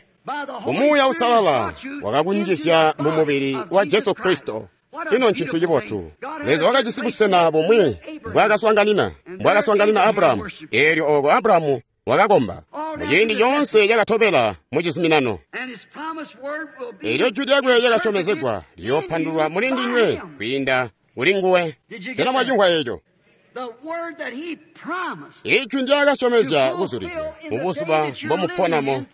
Kumuuya Uusalala wakakunjizya mu mubili wa Jesu Kristo. Ino ncintu cibotu. Leza wakajisi busena bumwi mbwaakaswaanganina Abrahamu. Eelyo ooko Abrahamu wakakomba muciindi coonse cakatobela mu cizuminano. Eelyo jwi lyakwe lyakasyomezegwa liyoopandulwa muli ndinywe kwiinda kuli nguwe. Sena mwacimvwa eco? Ijwi ndyaakasyomezya kuzulizya mubuzuba mbomuponamo.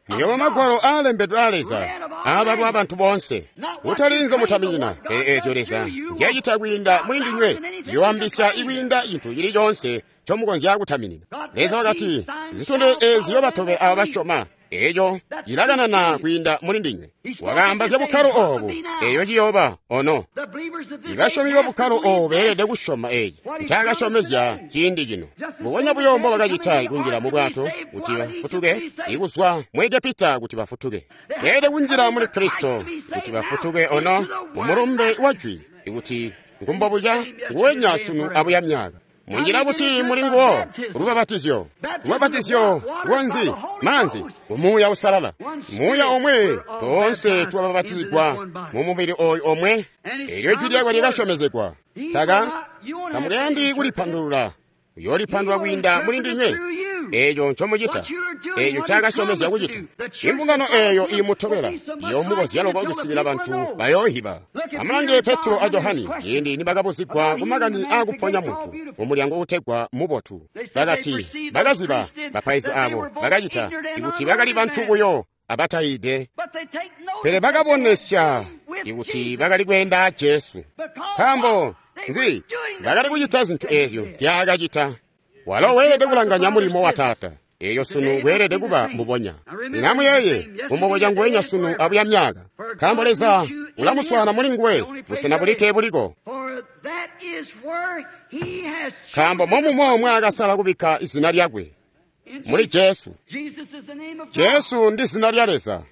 Muyooba magwalo aalembedwe aa Leza aabalwa abantu boonse, kutali nzomutaminina, pele eezyo Leza nzyacita kwiinda muli ndinywe ziyoambisya ikwiinda cintu cili coonse ncomukonzya kutaminina. Leza wakati, zitondezyo eezi ziyobatobela aabo basyoma. Eeco cilakanana kwiinda muli ndinywe. Wakaamba zya bukkalo oobu, eeyo ciyooba ono. Ibasyomi babukkalo oobu beelede kusyoma eeci ncaakasyomezya ciindi cino. Mbubonya buyo mbobakacita kunjila mubwato kuti bafutuke, ikuzwa mu Egepita kuti bafutuke. Beelede kunjila muli Kristo kuti bafutuke ono mumulumbe wa jwi ikuti ngumbobuca nguwenya sunu abuya myaka. Munjila buti muli nguwo? Lubapatizyo. Lubapatizyo lwanzi? Maanzi. Umuuya usalala. Muuya omwe toonse twabapatizigwa mu mubili ooyu omwe. Eelyo ijwi lyakwe lyakasyomezegwa. Taka tamukayandi kulipandulula. Uyoolipandulula kwiinda muli ndinywe. Eeco ncomucita, eeco ncaakasyomezya kucita. Imbungano eeyo iimutobela iyoomukozya loko kusikila bantu bayoohiba. Amulange Petro a Johani ciindi nibakabuzigwa kumakani aakuponya muntu mumulyango uutegwa Mubotu. Bakati bakaziba bapaizi aabo bakacita ikuti bakali bantu buyo abatayiide, pele bakabonesya ikuti bakali kweenda a Jesu. Nkaambo nzi? Bakali kucita zintu eezyo nzyaakacita. Walo weelede kulanganya mulimo wa Taata. Eeyo sunu weelede kuba mbubonya. Lino amuyeeye, kumboboca nguwenya sunu abuya myaka. Nkaambo Leza ulamuswaana muli nguwe, busena bulikke buliko. Nkaambo momumo mwaakasala kubikka izina lyakwe, muli Jesu. Jesu ndi zina lya Leza.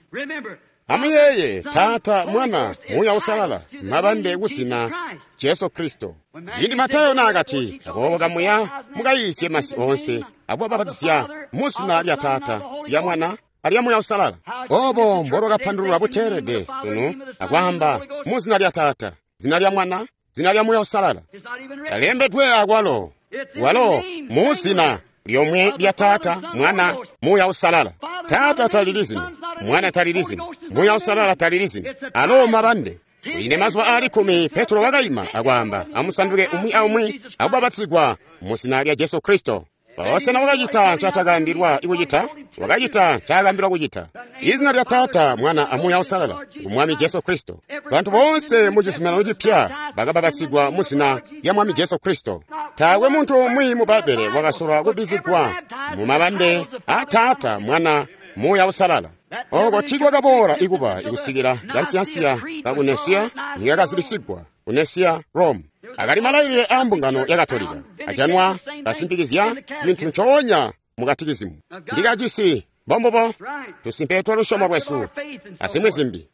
Amuyeeye, Taata, Mwana, Muuya Usalala, mabande kuzina Jesu Kristo. Ciindi Matayo naakati, aboobo kamuya mukayiisye masi oonse, akubapatizya muzina lya Taata, lya Mwana, alya Muuya Usalala. Oobo mbolwakapandululwa buteelede sunu akwaamba muzina lya Taata, zina lya Mwana, zina lya Muuya Usalala. Talembedwe akwalo, walo muzina lyomwe lya Taata, Mwana, Muuya Usalala. Taata talili zina, Mwana talili zina, Muuya Usalala talili zina. Alo mabande. Kwiinde mazuba aali 10 Petro wakaima akwaamba, amusanduke umwi aumwi akubapatizigwa muzina lya Jesu Kristo. Boosena wakacita ncatakaambilwa kucita, wakacita ncaakaambilwa kucita. Izina lya Taata, Mwana a Muuya Usalala ngu Mwami Jesu Kristo. Bantu boonse mu Cizuminano Cipya bakabapatizigwa muzina lya Mwami Jesu Kristo. Taakwe muntu umwi mu Bbaibbele wakasolwa kubbizigwa mu mabande a Taata, Mwana, Muuya Usalala. Oko tiikwakaboola ikuba ikusikila kansiyansiya kaku Nesiya nikakazibisigwa ku Nesiya, Rome. Akali malailile aa mbungano ya Katolika ajanwa kasimpikizya cintu ncoonya mu katikizimu. Ndikacisi mbombubo tusimpe twa lusyomo lwesu azimwi zimbi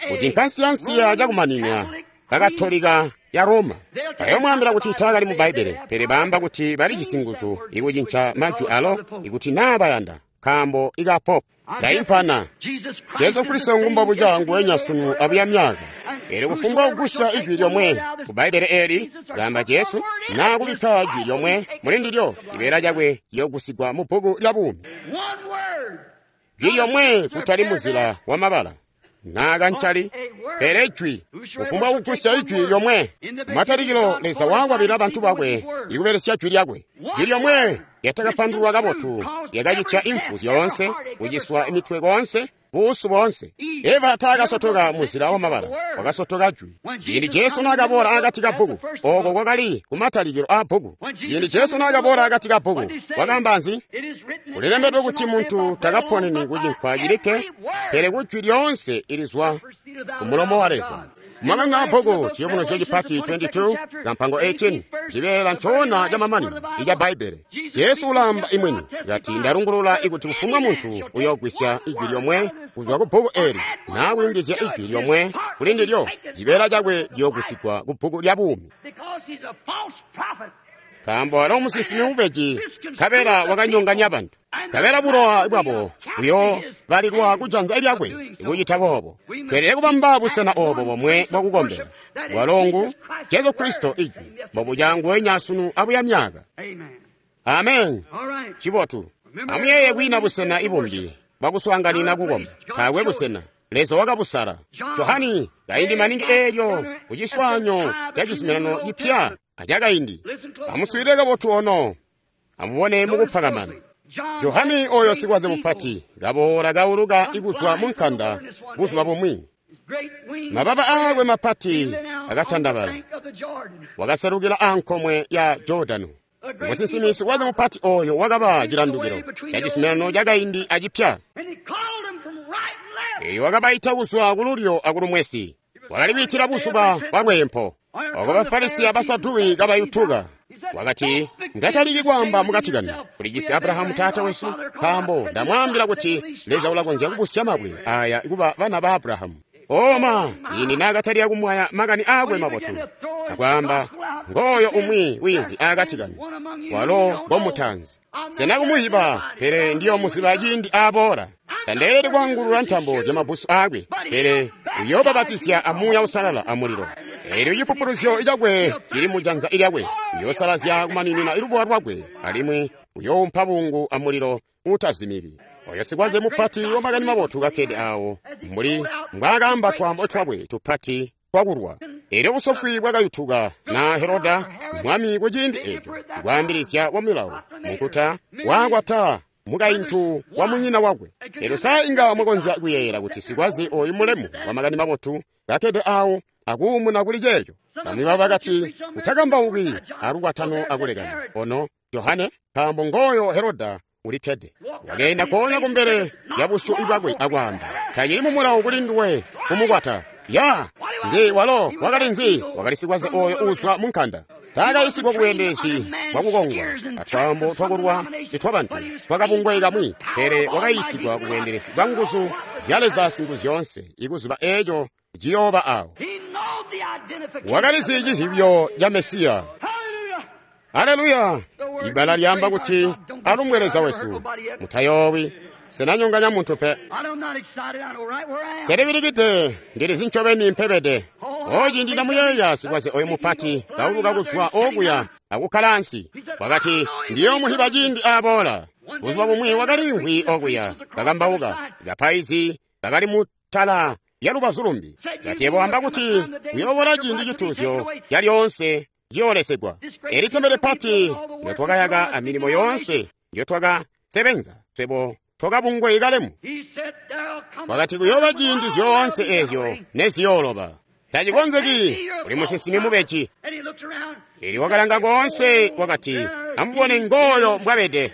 kuti nkansiyansiya cakumanina kakatolika ya Roma. Bayoomwaambila kuti taakali mu Bbaibbele, pele baamba kuti balijisi nguzu ikucinca majwi alo ikuti naa bayanda, nkaambo ika Pope. Ndaimpana. Jesu Kristo ngumbobuca nguwenya sunu abuya myaka. Eelyo kufumbwa kugusya ijwi lyomwe ku Bbaibbele eeli, kaamba Jesu, naa kubikka jwi lyomwe muli ndilyo, cibeela cakwe ciyoogusigwa mu bbuku lya buumi. Jwi lyomwe kutali muzila wa mabala naa kancali, pele jwi. Kufumbwa kugusya ijwi lyomwe. Matalikilo Leza waakwabilila bantu bakwe ikubelesya jwi lyakwe. Jwi lyomwe lyatakapandululwa kabotu lyakacitya imfu zyoonse, kuciswa imitwe koonse, buusu boonse. Eva taakasotoka muzila wa mabala, wakasotoka jwi. Ciindi Jesu naakaboola akati kabbuku, ooko kwakali kumatalikilo aa bbuku. Ciindi Jesu naakaboola akati kabbuku, wakaamba nzi? Kulilembedwe kuti muntu takaponeni kucinkwa cilikke, pele kujwi lyoonse ilizwa kumulomo wa Leza. Kumamanino aa bbuku, Ciyubunuzyo Cipati 22, kampango 18, cibeela ncoona camamanino ica Bbaibbele. Jesu ulaamba imwini, kati ndalungulula ikuti kufumbwa muntu uyoogwisya ijwi lyomwe kuzwa ku bbuku eeli, naa kuyungizya ijwi lyomwe kuli ndilyo, cibeela cakwe ciyoogwisigwa ku bbuku lya buumi. Nkaambo walo musinsimi mubeji, nkabela wakanyonganya bantu. Nkabela bulowa bwabo buyoobalilwa kujanza lyakwe ikucita boobo. Tweelede kubamba busena oobo bomwe bwakukombela. Walo ngu Jesu Kristo ijwi, mbobuca nguwenya sunu abuya myaka. Amen. Cibotu. Amuyeeye kwiina busena ibumbi bwakuswaanganina kukomba. Taakwe busena. Leza wakabusala. Johani, kaindi maningi eelyo ku ciswaanyo ca cizuminano cipya acakaindi. Amuswiilile kabotu ono. Amubone mukupakamana. Johani oyo sikwaze mupati kaboola kauluka ikuzwa mu nkanda buzuba bumwi. Mababa aakwe mapati akatandabala. Wakaselukila ankomwe ya Jordano. Musinsimi sikwaze mupati oyo wakaba cilandukilo ca cizuminano cakaindi acipya. Eyo wakabaita kuzwa kululyo akulumwesi. Wakali kwiitila buzuba bwa lweempo. Oko Bafarisi abasaduki kabayutuka. Wakati, ndataliki kwaamba mukati kanu, kulijisi Abrahamu taata wesu, nkaambo ndamwaambila kuti Leza ulakonzya kubusya mabwe aya kuba bana ba Abrahamu. Oma, ciindi naakatalika kumwaya makani aakwe mabotu, akwaamba, ngooyo umwi wiimvwi aakati kanu, walo ngomutanzi. Sena kumuhiba, pele ndiyomuziba ciindi aboola. Tandeelede kwaangulula ntambo zyamabbusu aakwe, pele uyoobapatizya a Muuya Uusalala amulilo. Eelyo cipupuluzyo cakwe cili mujanza lyakwe, uyoosalazya kumaninina lubowa lwakwe, alimwi uyoompa bungu amulilo uutazimiki. Oyo sikwaze mupati wamakani mabotu kakkede awo, mbuli mbwaakaamba twaambo twakwe tupati twakulwa. Eelyo busofwi bwakayutuka na Heroda mwami kuciindi eeco, kwaambilizya wa milawo munkuta waakwata mukaintu wa munyina wakwe. Eelyo sa inga mwakonzya kuyeeyela kuti sikwaze oyu mulemu wamakani mabotu kakkede awo akuumuna kuli ceeco. Bamwi babo bakati, utakambauki alukwatano akulekana. Ono Johane, nkaambo ngooyo Heroda ulikkede. Wakeenda koona kumbele lya busyu bwakwe akwaamba, tacili mu mulawo kuli nduwe kumukwata. Ya, nzi walo wakali nzi? Wakali sikwaze oyo uuzwa mu nkanda. Taakayisigwa kubweendelezi bwakukongwa atwaambo twakulwa itwabantu twakabungwe kamwi, pele wakayisigwa kubweendelezi bwa nguzu zya Leza Singuzyoonse, ikuziba eeco ciyooba awo. Wakalizi cizibyo ca Mesiya. Haleluya! Ibbala lyaamba kuti alumbwe Leza wesu. Mutayoowi, senanyonganya muntu pe. Selibilikide, ndilizi ncobeni mpebede. O ciindi ndamuyeeya sikwaze oyo mupati kauluka kuzwa okuya akukkala ansi. Wakati, ndiyoomuhiba ciindi aboola. Buzuba bumwi wakaliimvwi okuya kakambauka. Bapaizi bakali mutala lya lubazu lumbi. Kati yebo wamba kuti uyoobola ciindi cituuzyo calyoonse ciyoolesegwa. Eli tempele pati ndyotwakayaka amilimo yoonse ndyotwakasebenza swebo twakabungwe kalemu. Wakati kuyooba ciindi zyoonse eezyo neziyooloba. Tacikonzeki uli musinsimi mubeji. Eli wakalanga koonse wakati, amubone ngooyo mbwabede.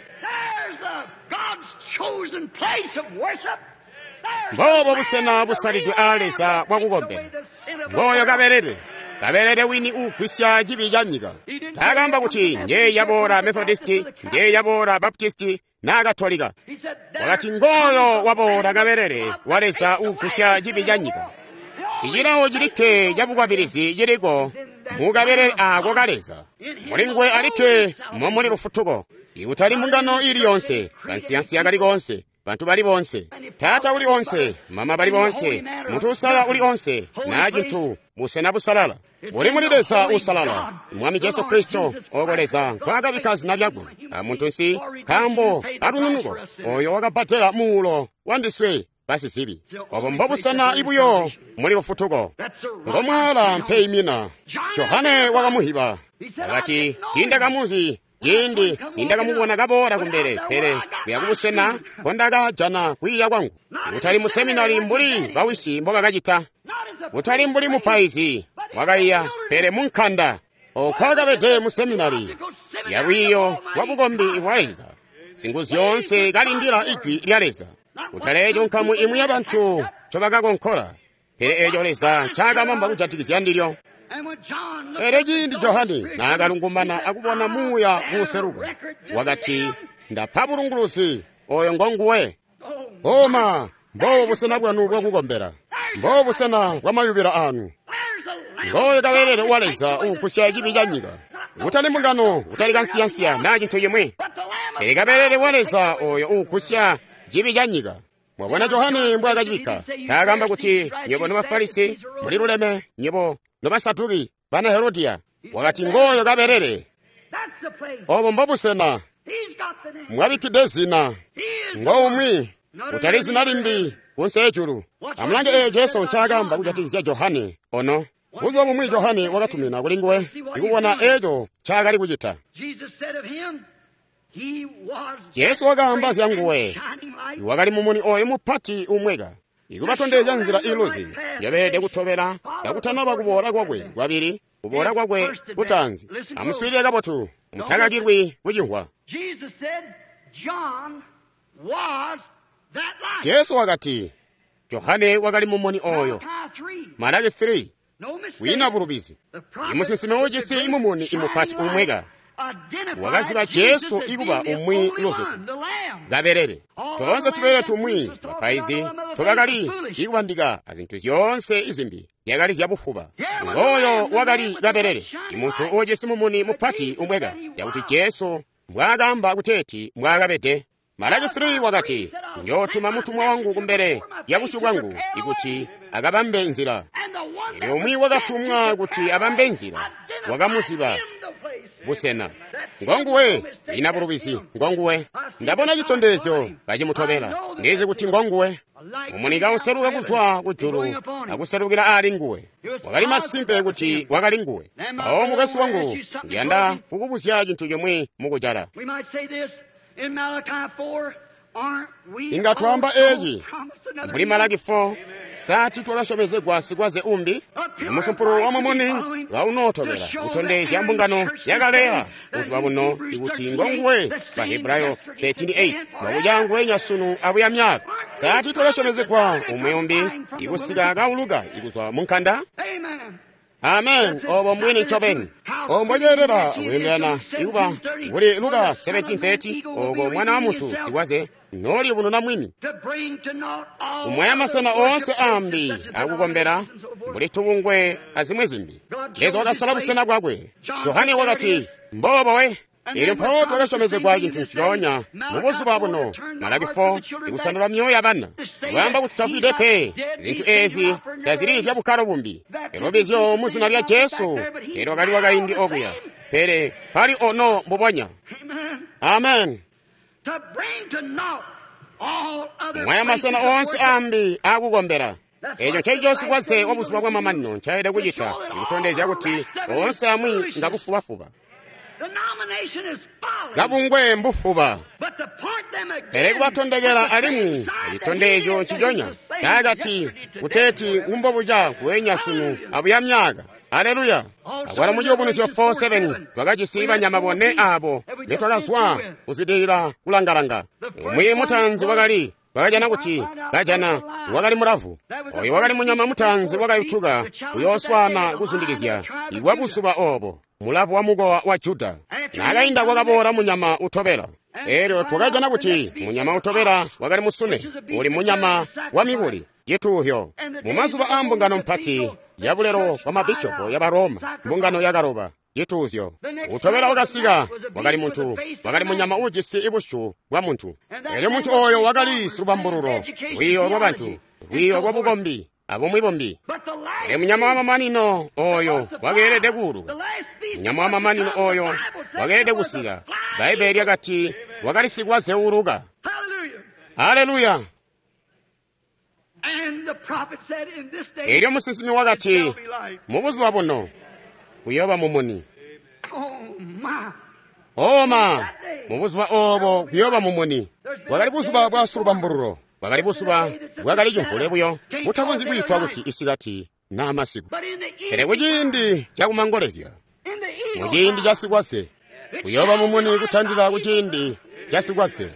Mboobo busena busalidwe aa Leza bwakukombela. Ngooyo kabelele. Kabelele wini uugwisya cibi ca nyika. Taakaamba kuti njeeyi yaboola Methodisti, njeeyi yaboola Baptisti naa Katolika. Wakati ngooyo waboola kabelele wa Leza uugwisya cibi ca nyika. Icilawo cilikke cabukwabilizi ciliko mukabelele aako ka Leza. Muli nguwe alikke momuli lufutuko. Ikutali mbungano ili yonse, kansiyansiya kali konse, bantu bali bonse, taata uli onse, mama bali bonse, munthu usalala uli onse, na cinthu busena busalala. Buli muli Leza usalala, Mwami Jesu Kristo, oko Leza nkwaakabikka zina lyakwe, a muntu nsi, nkaambo kalununuko, oyo wakabbadela muulo wandiswe basizibi. Obo mbobusena ibuyo muli lufutuko. Ngomwaala mpeimina. Johane wakamuhiba. Wakati, tiindakamuzi ciindi nindakamubona kaboola kumbele, pele kuya kubusena nkondakajana kwiiya kwangu. Kutali mu seminari mbuli bawisi mbobakacita, kutali mbuli mupaizi wakaiya, pele mu nkanda okwakabede mu seminari ya lwiiyo lwa bukombi bwa Leza, Singuzyoonse kalindila ijwi lya Leza. Kutali eeco nkamu imwi yabantu ncobakakonkola, pele eeco Leza ncaakabamba kujatikizya ndilyo. Elyo ciindi Johane naakalungumana akubona Muuya kuuseluka, wakati, ndapa bulunguluzi, oyo ngonguwe. Oma, mboobo busena bwanu bwakukombela, mboobo busena bwamayubilo anu. Ngooyo kabelele wa Leza uugusya cibi ca nyika. Kutali mbungano, kutali kansiyansiya naa cintu cimwi, pele kabelele wa Leza oyo uugusya cibi ca nyika. Mwabona Johane mbwaakacibikka. Taakaamba kuti nywebo nobafarisi muliluleme, nywebo nobasaduki bana Herodiya. Wakati ngooyo kabelele. Obo mbobusena mwabikkide zina. Ngoumwi, kutali zina limbi Kunse ejulu. Amulange eyo Jesu ncaakaamba kujatikizya Johane ono. Buzuba bumwi Johane wakatumina kuli nguwe ikubona eco ncaakali kucita. Jesu wakaamba zya nguwe, wakali mumuni oyo mupati umweka, ikubatondezya nzila iluzi yabeelede kutobela kakutanaba kuboola kwakwe kwabili, kuboola kwakwe kutaanzi. Amuswiilile kabotu, mutakakilwi kucimvwa. Jesu wakati, Johane wakali mumuni oyo. Malaki 3. Kwiina bulubizi. Imusinsimi uujisi imumuni imupati umweka wakaziba Jesu ikuba umwi luzutu kabelele. Toonse tubelele tumwi bapaizi tobakali ikubandika azintu zyoonse izimbi zyakali zyabufuba. Ngooyo wakali kabelele, imuntu uujisi mumuni mupati umweka, yakuti Jesu mbwaakaamba kuteeti mbwaakabede. Malaki 3 wakati, njootuma mutumwa wangu kumbele ya busyu bwangu ikuti akabambe nzila. Elyo umwi wakatumwa kuti abambe nzila, wakamuziba busena. Ngonguwe, ina bulubizi, ngonguwe. Ndabona citondezyo kacimutobela, ndizi kuti ngonguwe. Mumuni kauseluka kuzwa kujulu akuselukila ali nguwe. Wakali masimpe kuti wakali nguwe. Awo mukwesu wangu, ndiyanda kukubuzya cintu chimwi mukujala. Inga twaamba eci mbuli Malaki 4, sati twakasyomezegwa sikwaze umbi, musumpulu wa mumuni kaunootobela kutondezya mbungano yakaleya buzuba buno ikuti ngonguwe. Bahebrayo 13:8 mwakuca nguwenya sunu abuya myaka. Sati twakasyomezegwa umwi umbi ikusika kauluka ikuzwa munkanda. Amen. Obo mbwini ncobeni. Obo mbwaceelela kuyindirana ikuba kuli Luka 17:30 oko mwana wa muntu sikwaze noli bununa mwini kumwaya masena oonse ambi akukombela mbuli tubungwe azimwi zimbi. Leza wakasala busena bwakwe. Johane wakati mbobo we. Elyo mpawo twakasyomezegwa cintu ncoonya mubuzuba buno. Malaki 4 ikusandula myoyo ya bana kwaamba kuti tafwide pe. Zintu ezi tazili zyabukkalo bumbi. Elobizyo mu zina lya Jesu elyo wakali wakaindi okuya, pele pali ono mbubonya. Amen. Kumwaya masena oonse ambi akukombela. Eco ncencico sikwaze wa buzuba bwamamanino ncaelede kucita, ikutondezya kuti oonse amwi ngabufubafuba. Kabungwe mbufuba, pele kubatondekela alimwi citondezyo nciconya cakati kuteeti ngumbobuca kuwenya sunu abuya myaka. Aleluya. Akwalo mu Ciyubunuzyo 4:7 twakajisi banyama bone abo netwakazwa kuzwidilila kulangalanga. Umwi mutaanzi wakali twakajana kuti kajana wakali mulavu. Oyo wakali munyama mutaanzi wakayutuka kuyooswana kuzundikizya ikwa buzuba obo, mulavu wa mukowa wa Juda. Naakainda kwakaboola munyama utobela. Elyo twakajana kuti munyama utobela wakali musune, uli munyama wa mikuli cituhyo. Mu mazuba aa mbungano mpati ya bulelo bwa mabishopo ya Baroma, mbungano yakaloba cituuzyo. Utobela wakasika wakali muntu, wakali munyama uujisi ibusyu bwa muntu. Elyo muntu oyo wakali silubambululo, lwiiyo lwa bantu, lwiiyo lwa bukombi abumwi bumbi. Elyo munyama wamamanino oyo wakeelede kuuluka. Munyama wamamanino oyo wakeelede kusika. Bbaibbele lyakati wakali sikwaze uuluka. Haleluya. Elyo musinsimi wakati mubuzuba buno kuyooba mumuni. Oma, mubuzuba obo kuyooba mumuni. Bwakali buzuba bwa silubambululo. Bwakali buzuba bwakali cimvule buyo, butakonzyi kwiitwa kuti isikati naa masiku. Pele kuciindi cakumangolezya, muciindi ca sikwaze, kuyooba mumuni kutandila kuciindi ca sikwaze.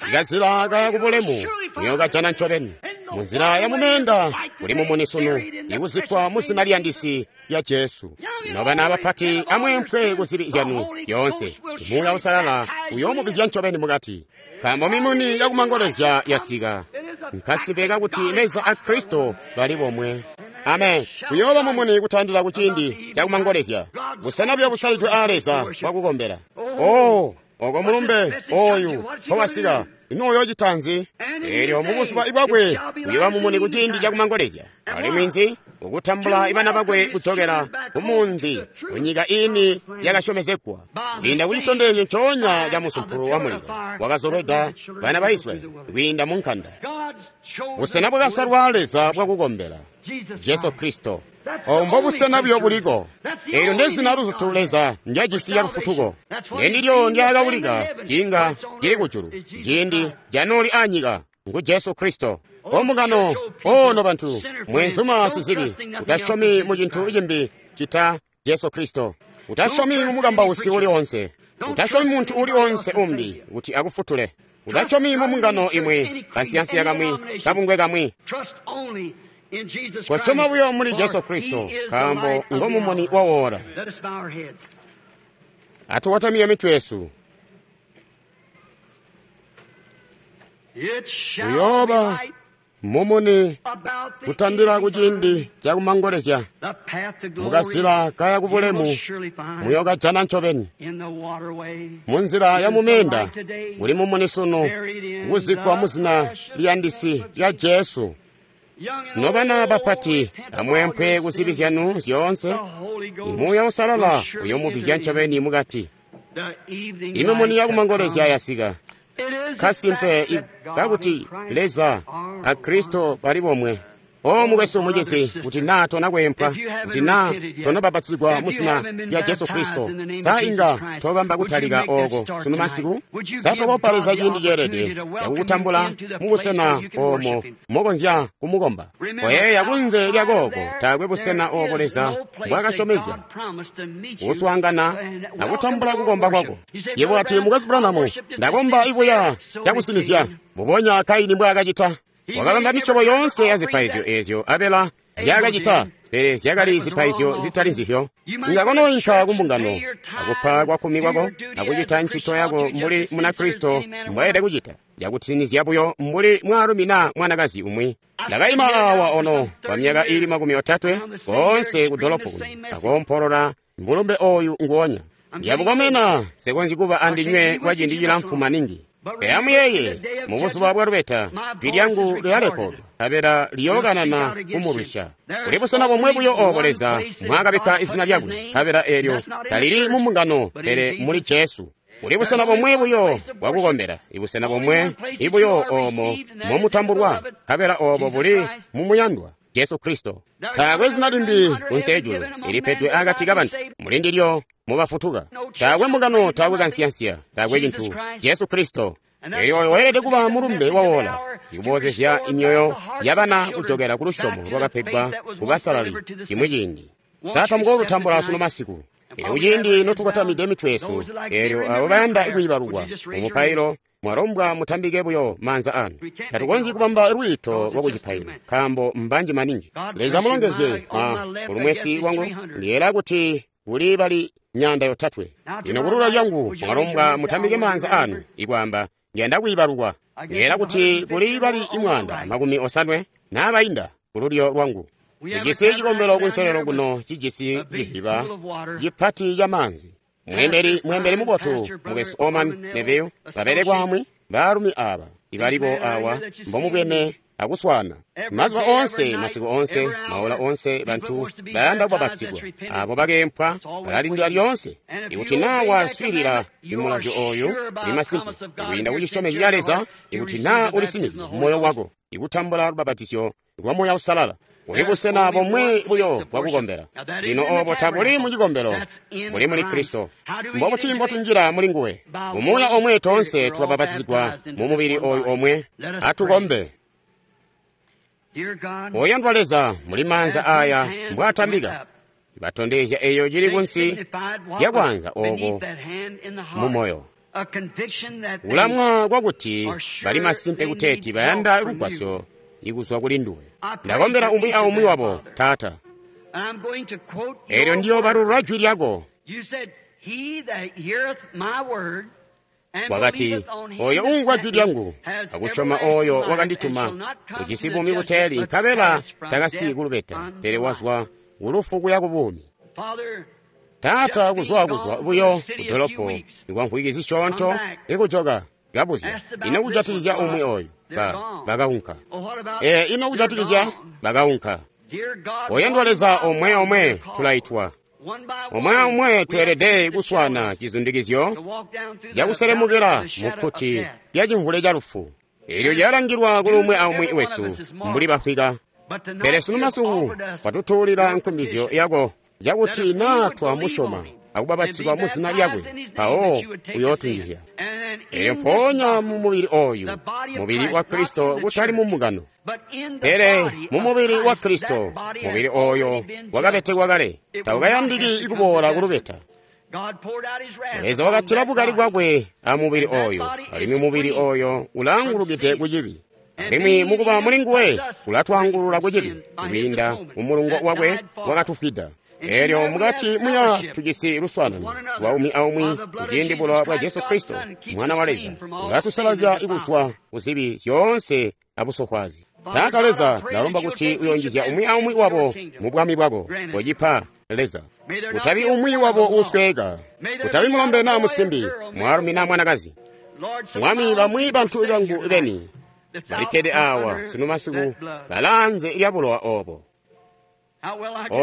Ikazila kaya kubulemu muyookajana ncobeni. Munzila ya mumeenda kuli mumuni sunu, ikuzikkwa mu zina liyandisi lya Jesu. Nobana abapati amweempwe ku zibi zyanu zyoonse. Muuya Uusalala uyoomubizya ncobeni mukati. Nkaambo mimuni yakumangolezya yasika. Nkasimpe kakuti Leza a Kristo bali bomwe. Amen. Kuyooba mumuni kutandila kuciindi cakumangolezya. Busena buyo busalidwe aa Leza bwakukombela. Oh, oko mulumbe oyu mpowasika. Ino uyoocita nzi? Eelyo mubuzuba bwakwe uyooba mumuni kuciindi cakumangolezya. Alimwi nzi? Ukutambula ibana bakwe kujokela kumunzi kunyika iini yakasyomezegwa kwiinda kucitondezyo ncoonya ca musumpulu wa mulilo wakazolweda bana ba Israyeli kwiinda mu nkanda. Busena bwakasalwa Leza bwakukombela, Jesu Kristo. Obo mbobusena buyo buliko. Eelyo ndezina luzutu Leza ndyajisi ya lufutuko. Ndendilyo ndyaakawulika ciinga cili kujulu ciindi canooli anyika ngu Jesu Kristo. Ombungano, ono bantu, mwenzuma sizibi, utasyomi mu cintu cimbi cita Jesu Kristo. Utasyomi mu mukambausi uli onse. Utasyomi muntu uli onse umbi kuti akufutule. Utasyomi mu mbungano imwi, kansiyansiya kamwi, kabungwe kamwi. Kosyoma buyo muli Jesu Kristo, nkaambo ngo mumuni wa wora. Atukotamike mitwe yesu. Uyooba mumuni kutandila kuciindi cakumangolezya. Mukazila kaya kubulemu muyokajana ncobeni. Munzila ya mumenda kuli mumuni sunu kuzikkwa muzina liyandisi lya Jesu. Nobana bapati, amweempwe kuzibi zyanu zyoonse. Imuuya Uusalala uyoomubizya ncobeni mukati. Imimuni yakumangolezya yasika. Kasimpe kakuti Leza a Kristo bali bomwe. O mukwesu mucizi, kuti naa tona kweempwa, kuti naa tonabapatizigwa muzina lya Jesu Kristo, sa inga tobamba kutalika ooko sunu masiku? Sa tokopa Leza ciindi ceelede cakukutambula mubusena oomo mokonzya kumukomba? Koyeeya kunze lya kooko taakwe busena oobo Leza mbwaakasyomezya kuswaangana akutambula kukomba kwako. Yebo wati, Mukwesu Branham, ndakomba ibuya cakusinizya, mbubonya Kaini mbwaakacita. Wakabamba misyobo yoonse ya zipaizyo eezyo Abela nzyaakacita, pele zyakali zipaizyo zitali nzizyo. Inga konoinka kumbungano akupa kwakkumi kwako akucita ncito yako mbuli Munakristo mbwaelede kucita, cakusinizya buyo mbuli mwaalumi naa mwanakazi umwi. Ndakaima awa ono kwa myaka iili 30 koonse ku dolopo kuno akoompolola mulumbe ooyu nguonya. Ndyabukomena nsikonzyi kuba andinywe kwa ciindi cilamfu maningi. Pele amuyeeye, mubuzuba bwa lubeta, jwi lyangu lilalekodwa, nkabela liyookanana kumulwisya. Kuli busena bomwe buyo oobo Leza mwaakabikka izina lyakwe, nkabela eelyo talili mu mbungano, pele muli Jesu. Kuli busena bomwe buyo bwakukombela, ibusena bomwe ibuyo oomo momutambulwa, nkabela oobo buli mumuyandwa Jesu Kristo. Taakwe zina limbi kunsi ejulu ilipedwe akati kabantu, mulindilyo mubafutuka. Taakwe mbungano, taakwe kansiyansiya, taakwe cintu. Jesu Kristo. Eelyo oyo weelede kuba mulumbe wawola, ikuboozezya imyoyo yabana kujokela ku lusyomo lwakapegwa kubasalali cimwi ciindi. Sa tamukoolutambula sunu masiku? Eelyo kuciindi notukotamide mitwe yesu, eelyo abo bayanda kwiibalukwa mumupailo, mwalombwa mutambike buyo maanza anu. Tatukonzyi kubamba lwiito lwa kucipailo, nkaambo mbanji maningi. Leza mulongezye ma kulumwesi lwangu, ndiyeera kuti kuli bali 300. Lino kulula lyangu mwalombwa mutambike maanza anu, ikwaamba ndiyanda kwiibalukwa. Ndiyeera kuti kuli bali 150 naabainda kululyo lwangu. Tujisi cikombelo kunselelo kuno cijisi cihiba cipati ca maanzi. Mweembeli mubotu mukwesu Oman Neville babelekwaamwi baalumi aaba ibaliko awa mbomubwene akuswaana mazuba oonse, masiku oonse, maola oonse. Bantu bayanda kubapatizigwa abo bakeempwa balalindila lyoonse. Ikuti naa waswiilila imulazyo ooyu uli masimpe kwiinda kucisyomezyo ca Leza, ikuti naa ulisinizye mumoyo wako ikutambula lubapatizyo lwa Muuya Uusalala. Kuli busena bomwe buyo bwakukombela. Lino oobo tabuli mu cikombelo, buli muli Kristo. Mbobuti mbotunjila muli nguwe? Mumuuya omwe toonse tulabapatizigwa mu mubili ooyu omwe. Atukombe. Oyandwa Leza, muli maanza aaya mbwaatambika, batondezya eeyo cili kunsi lyakwaanza ooko mumoyo. Kulamwa kwakuti bali masimpe kuteeti bayanda lugwasyo ikuzwa kuli nduwe. Ndakombela umwi aumwi wabo, Taata. Eelyo ndiyoobalulula jwi lyako. Wakati, oyo uumvwa jwi lyangu akusyoma ooyo wakandituma ujisi buumi buteeli, nkabela takasiyi kulubeta, pele wazwa kulufu kuya kubuumi. Taata, kuzwa buyo kudolopo ikwamvwiki zisyoonto ikujoka. Kabuzya, ino kujatikizya umwi oyu? Bakaunka. Ino kujatikizya? Bakaunka. Oyandwa Leza, omwe omwe tulaitwa. Omwe omwe tweelede kuswana cizundikizyo cakuselemukila mu kkuti lya cimvule ca lufu. Elyo lyalangilwa kuli umwi aumwi wesu mbuli bafwika. Pele sunu masiku watutuulila nkumbizyo yako cakuti naa twamusyoma akubapatizigwa mu zina lyakwe, mpawo uyootunjizya. Elyo mpoonya mu mubili oyu, mubili wa Kristo, kutali mu mbungano, pele mu mubili wa Kristo, mubili oyo wakabetekwa kale, taukayandiki kuboola kulubeta. Leza wakatila bukali bwakwe a mubili oyo, alimwi mubili oyo ulaangulukide ku cibi. Alimwi mukuba muli nguwe ulatwaangulula ku cibi kwiinda mu mulungo wakwe wakatufwida. Elyo mukati muya tujisi luswaanano lwa umwi aumwi kuciindi bulowa bwa Jesu Kristo, Mwana wa Leza, ulatusalazya kuzwa ku zibi zyoonse abusofwaazi. Taata Leza, ndalomba kuti uyonjizya umwi aumwi wabo mu bwami bwako. Kocipa, Leza. Kutabi umwi wabo uusweeka, kutabi mulombe naa musimbi, mwaalumi naa mwanakazi. Mwami, bamwi bantu bangu beni balikkede awa sunu masiku balaanze lya bulowa obo.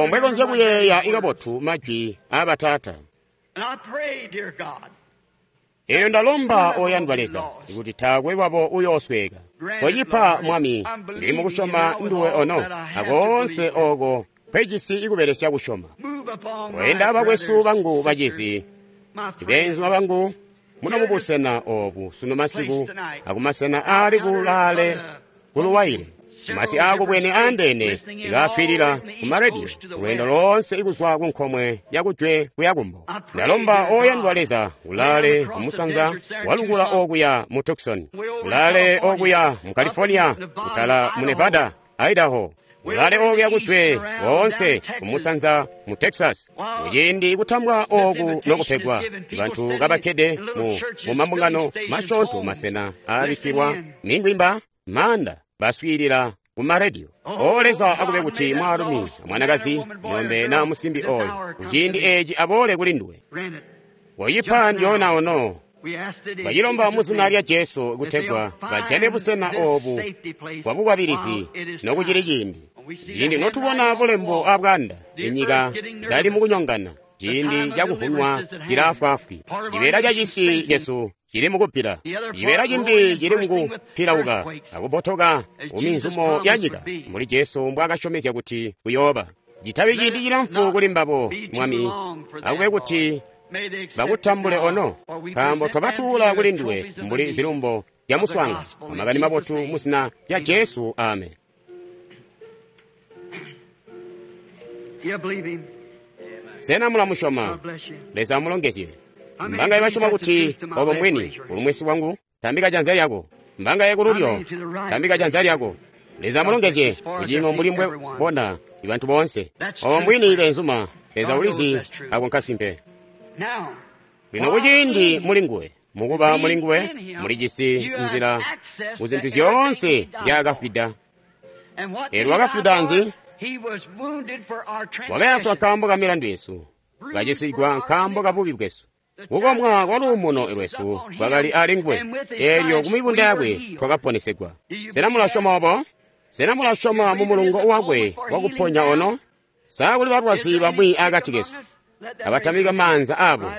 Mbwe konzya kuyeeya ikabotu majwi aabataata. Elyo ndalomba, oyandwa Leza, kuti taakwe wabo uyoosweeka. Kocipa, Mwami, ndili mukusyoma nduwe ono, akoonse oko kwejisi ikubelesya kusyoma. Oyenda abakwesu bangu bacizi, beenzuma bangu, muno mubusena obu sunu masiku akumasena aali kulaale kuluwaile. Masi aakubwene aandeene ikaaswiilila ku marediyo lweendo loonse ikuzwa ku nkomwe yakujwe kuya kumbo. Ndalomba, oyandwa Leza, ulaale kumusanza walukula okuya mu Tucson, ulaale okuya mu California, kutala mu Nevada, Idaho, ulaale okuya kujwe woonse kumusanza mu Texas. Muciindi kutambwa oku nokupegwa, bantu kabakkede mu mambungano masyoonto, masena aabikkilwa mingwimba, maanda, baswiilila ku marediyo. O Leza, akube kuti mwaalumi amwanakazi, mulombe naa musimbi oyo kuciindi eci aboole kuli nduwe. Koyipa ndyoona ono. Bacilomba mu zina lya Jesu kutegwa bajane busena obu bwa bukwabilizi nokucili ciindi. Ciindi notubona bulembo abwaanda, inyika kali mukunyongana, ciindi cakuvunwa cilaafwaafwi. Cibeela ca cisi cesu cili mukuppila, cibeela cimbi cili mukupilauka akubotoka kuminzumo ya nyika, mbuli Jesu mbwaakasyomezya kuti kuyooba. Citabi ciindi cilamfu kuli mbabo, Mwami, akube kuti bakutambule ono, nkaambo twabatuula kuli nduwe mbuli zilumbo zya muswaangano amakani mabotu mu zina lya Jesu. Amen. Sena mulamusyoma? Leza amulongezye. Mbangaye basyoma kuti obo mbwini kulumwesi bwangu? Tambika janza lyako. Mbangaye kululyo? Tambika janza lyako. Leza amulongezye kuciimo mbuli mbwe bona bantu boonse. Obo mbwini, beenzuma. Leza ulizi ako nkasimpe. Lino kuciindi muli nguwe, mukuba muli nguwe, mulijisi nzila ku zintu zyoonse nzyaakafwida. Elyo wakafwida nzi? Wakayaswa nkaambo ka milandu yesu, kacisigwa nkaambo ka bubi bwesu. Kukomwa kwa luumuno lwesu kwakali ali nguwe, elyo ku mibunda yakwe twakaponesegwa. Sena mulasyoma obo? Sena mulasyoma mu mulungo wakwe wakuponya ono? Sa kuli balwazi bamwi akati kesu abatamika maanza abo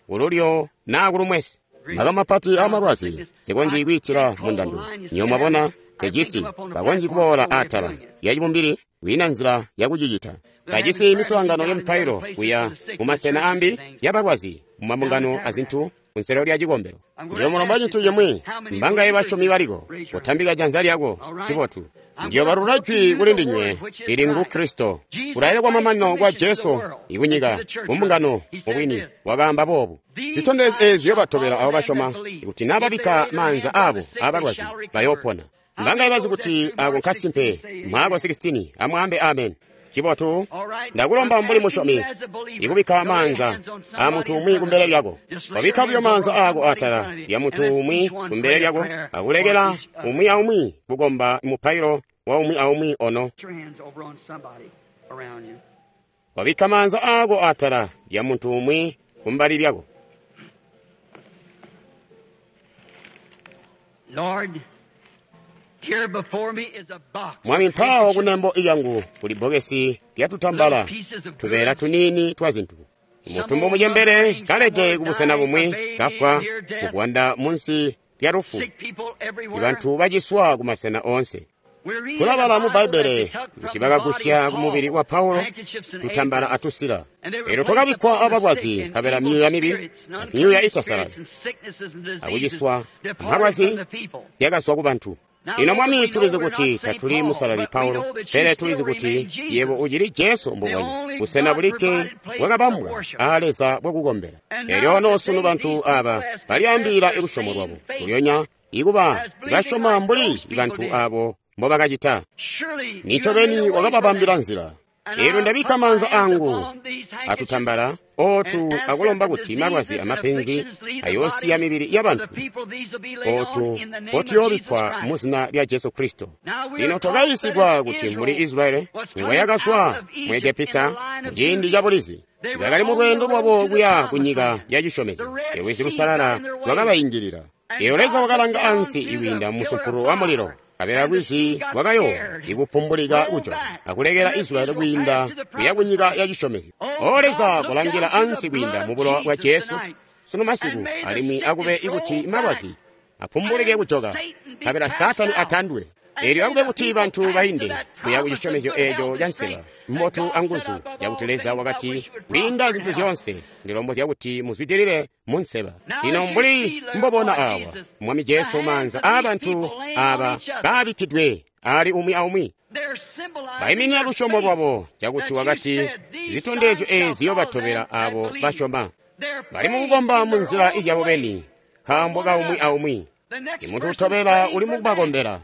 kululyo naa kulumwesi? Maka mapati amalwazi sikonzyi kwiitila mundando. Nyo mwabona sejisi bakonzyi kuboola atala ya cibumbili, kwiina nzila yakucicita. Bajisi miswaangano ya mipailo kuya mumasena ambi yabalwazi mumabungano azintu kunselelo lya cikombelo. Ndiyo mulomba cintu cimwi, mbangaye basyomi baliko, kutambika janza lyako. Cibotu. Ndiyo balula jwi kuli ndinywe, ili ngu Kristo. Kulaile kwa mamanino kwa Jesu ikunyika, kumbungano, mubwini, wakaamba boobu. Zitondezyo eezi ziyobatobela abo basyoma, ikuti naa babikka maanza abo abalwazi, bayoopona. Mbangaye bazi kuti ako nkasimpe? Maako 16, amwaambe amen. Cibotu, ndakulomba mbuli musyomi ikubikka maanza a muntu umwi kumbele lyako. Wabikka buyo maanza aako atala lya muntu umwi kumbele lyako, akulekela umwi aumwi kukomba mupailo wa umwi aumwi ono. Wabikka maanza aako atala lya muntu umwi kumbali lyako. Mwami, mpaawo kunembo lyangu kuli bbokesi lyatutambala, tubeela tuniini twa zintu. Mutumbu mucembele kalede kubusena bumwi, kafwa muvwanda munsi lya lufu. Ibantu baciswa kumasena oonse. Tulabala mu Bbaibbele kuti bakagusya kumubili wa Paulo tutambala atusila. Elyo twakabikkwa abalwazi, nkabela myuuya mibi, myuuya itasalali, akuciswa amalwazi zyakazwa kubantu. Lino Mwami, tulizi kuti tatuli Musalali Paulo, pele tulizi kuti yebo ucili Jesu mbubonya, busena bulikke bwakabambwa aa Leza bwakukombela. Elyo ono sunu bantu aba balyaambila lusyomo lwabo kulyonya ikuba basyoma mbuli bantu abo mbobakacita. Nincobeni wakababambila nzila. Elyo ndabikka maanza angu atutambala ootu akulomba kuti malwazi amapenzi ayoosiya mibili yabantu ootu mpotuyobikkwa mu zina lya Jesu Kristo. Lino twakayiisigwa kuti muli Israyeli ngoyakazwa mu Egepita muciindi ca bulizi, bakali mu lweendo lwabo kuya ku nyika ya cisyomezyo. Lwizi Lusalala lwakabaingilila. Elyo Leza wakalanga ansi ikwiinda musumpulu wa mulilo, nkabela lwizi lwakayoowa ikupumbulika kujoka akulekela Israyeli kwiinda kuya kunyika ya cisyomezyo. O Leza, kolangila ansi kwiinda mu bulowa bwa Jesu sunu masiku, alimwi akube ikuti malwazi apumbulike kujoka, nkabela Saatani atandwe. Elyo akube kuti bantu bainde kuya ku cisyomezyo eeco ca nseba mbotu anguzu, cakuti Leza wakati, kwiinda zintu zyoonse ndilombozya kuti muzwidilile mu nseba. Lino mbuli mbobona awa, Mwami Jesu, maanza aabantu aba kaabikkidwe ali umwi aumwi, baiminina lusyomo lwabo, cakuti wakati zitondezyo eezi ziyobatobela abo basyoma. Bali mukukomba mu nzila izyabo beni, nkaambo kaumwi aumwi. Imuntu utobela uli mukubakombela.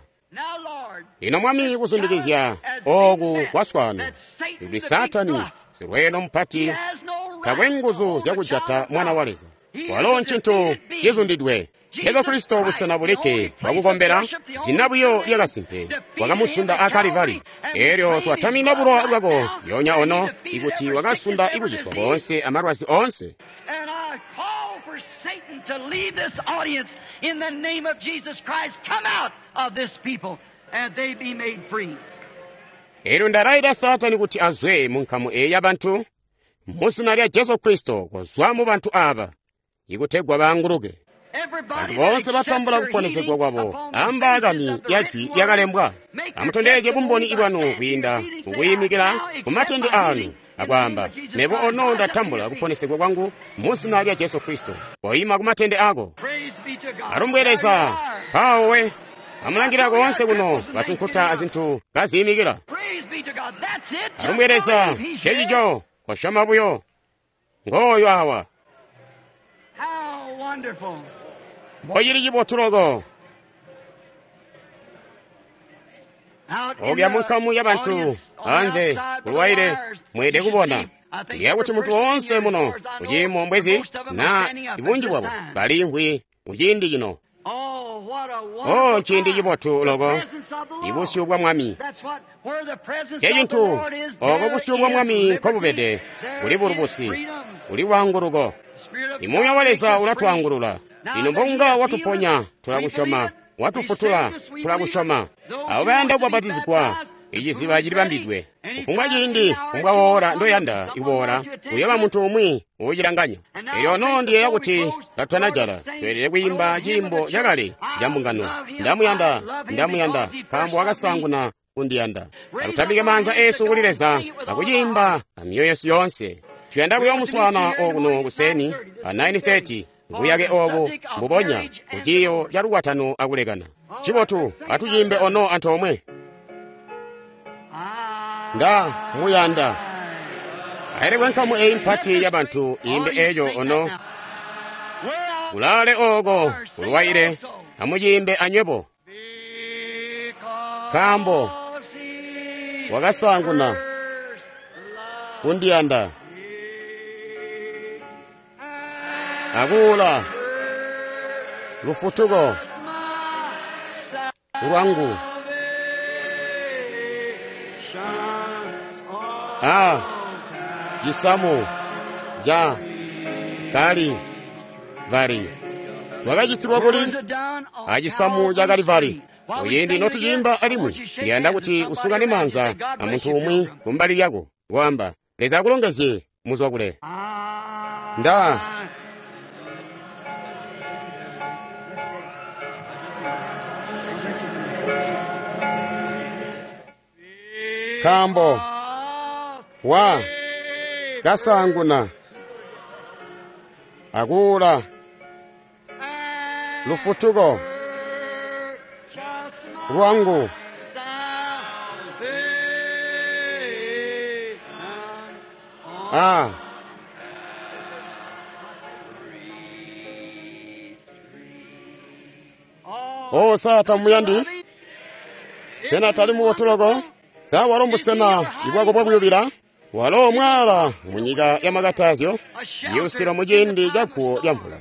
Lino Mwami, kuzundikizya ooku kwaswaano, kuti Saatani silweeno mupati takwe nguzu zyakujata mwana wa Leza. Walo ncintu cizundidwe. Jesu Kristo busena bulikke bwakukombela, zina buyo lyakasimpe, wakamusunda a Kalivari. Elyo twatamina bulowa bwako lyoonya ono, ikuti wakasunda ikuciswa koonse amalwazi oonse. Satan to leave this audience in the name of Jesus Christ. Come out of this people and they be made free. Elyo ndalaita Saatani kuti azwe mu nkamu eyi yabantu mu zina lya Jesu Kristo, kozwa mu bantu aba ikutegwa baanguluke. Bantu boonse batambula kuponesegwa kwabo ambaakani ya jwi lyakalembwa. Amutondezye bumboni bwanu kwiinda mukuyimikila ku matende anu akwaamba, mebo ono ndatambula kuponesegwa kwangu mu zina lya Jesu Kristo. Koima ku matende ako. Alumbwe Leza, mpawo we. Amulangila koonse kuno basunkuta azintu kaziyimikila. Alumbwe Leza, cecico, kosyoma buyo. Ngooyo awa. Mbocili cibotu loko. Okuya munkamu yabantu anze kulwaile mweede kubona. Ndiya kuti muntu woonse muno kuciimo mbwezi na ibunji bwabo baliimvwi kuciindi cino. Oh, nciindi cibotu loko, ibusyu bwa Mwami. Cecintu oko busyu bwa Mwami nkobubede, kuli bulubusi, kuli lwaanguluko. Imuuya wa Leza ulatwaangulula. Lino mbonga watuponya, tulakusyoma. Watufutula, tulakusyoma. Abo bayanda kubapatizigwa, iciziba cilibambidwe. Kufumbwa ciindi, kufumbwa woora ndoyanda ikuboola, uyooba muntu umwi uucilanganya. Elyo ono ndiyeeya kuti katutanajala, tweelede kwiimba ciimbo cakale ca mbungano. Ndamuyanda, ndamuyanda, nkaambo wakasaanguna kundiyanda. Atutambike maanza eesu kuli Leza akuciimba amyoyo yesu yoonse. Tuyanda kuyoomuswaana okuno kuseni pa 9:30 buyake obu mbubonya ku ciiyo ca lukwatano akulekana. Cibotu, atuciimbe ono antoomwe. Nda muyanda. Ailekwe nkamu eyi mpati yabantu iimbe eco ono. Kulaale oko kulwaile, amuciimbe anywebo. Nkaambo wakasaanguna kundiyanda akuula lufutuko lwangu. A cisamu ca Kalivari. Wakacitilwa kuli acisamu ca Kalivari. Kuciindi notuciimba alimwi, ndiyanda kuti usukane maanza amuntu umwi kumbali lyako, kwaamba, Leza akulongezye muzwa kule. Nda nkaambo wa kasaanguna akuula lufutuko lwangu a o sa tamuyandi sena tali mubotu sa walo mbusena ibwako bwakuyubila walo mwaala munyika ya makatazyo yusilo muciindi ca guwo lya mvula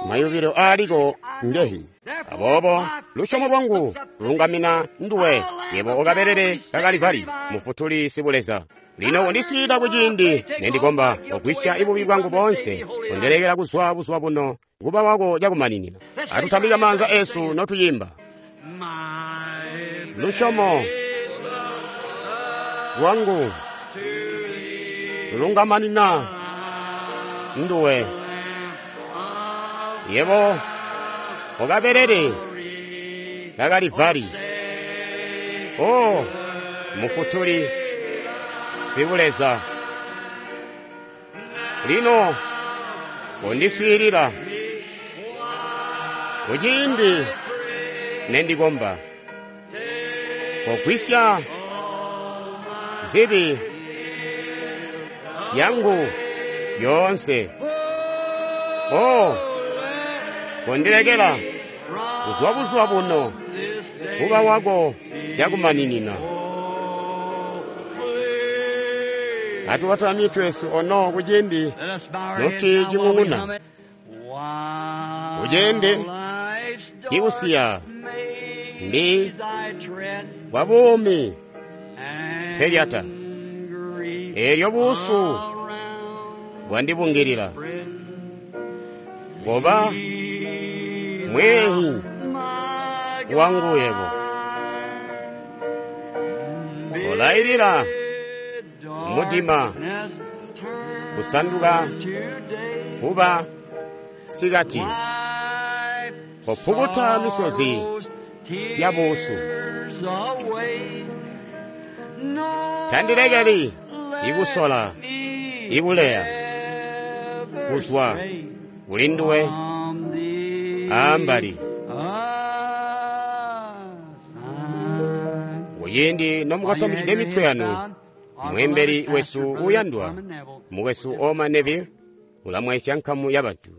mayubilo aaliko ngehi aboobo lusyomo lwangu lungamina nduwe yebo okabelele ka Kalivari mufutuli sibuleza lino undiswiilila kuciindi nendikomba ogwisya ibubi bwangu boonse undelekela kuzwa buzuba buno kuba wako cakumaninina atutambika maanza esu notuyimba lusyomo lwangu lungamanina nduwe yebo okabelele ka Kalivari o mufutuli sibuleza lino kondiswiilila kuciindi nendikomba kogwisya zibi yangu yoonse o kondilekela kuzwa buzuba buno kuba wako cakumaninina atubatula mitwe yesu ono kuciindi noti cing'ung'una kuciindi ikusiya ndi bwa buumi pelyata elyo buusu bwandibungilila goba mwehi wangu yebo olayilila mudima kusanduka kuba sikati kopukuta misozi ya buusu tandilekeli ikusola ikuleya kuzwa kuli nduwe ambali kuciindi nomukotamikide mitwe yanu mwembeli wesu uyandwa mukwesu Oma Neville ulamwaisya nkamu ya bantu.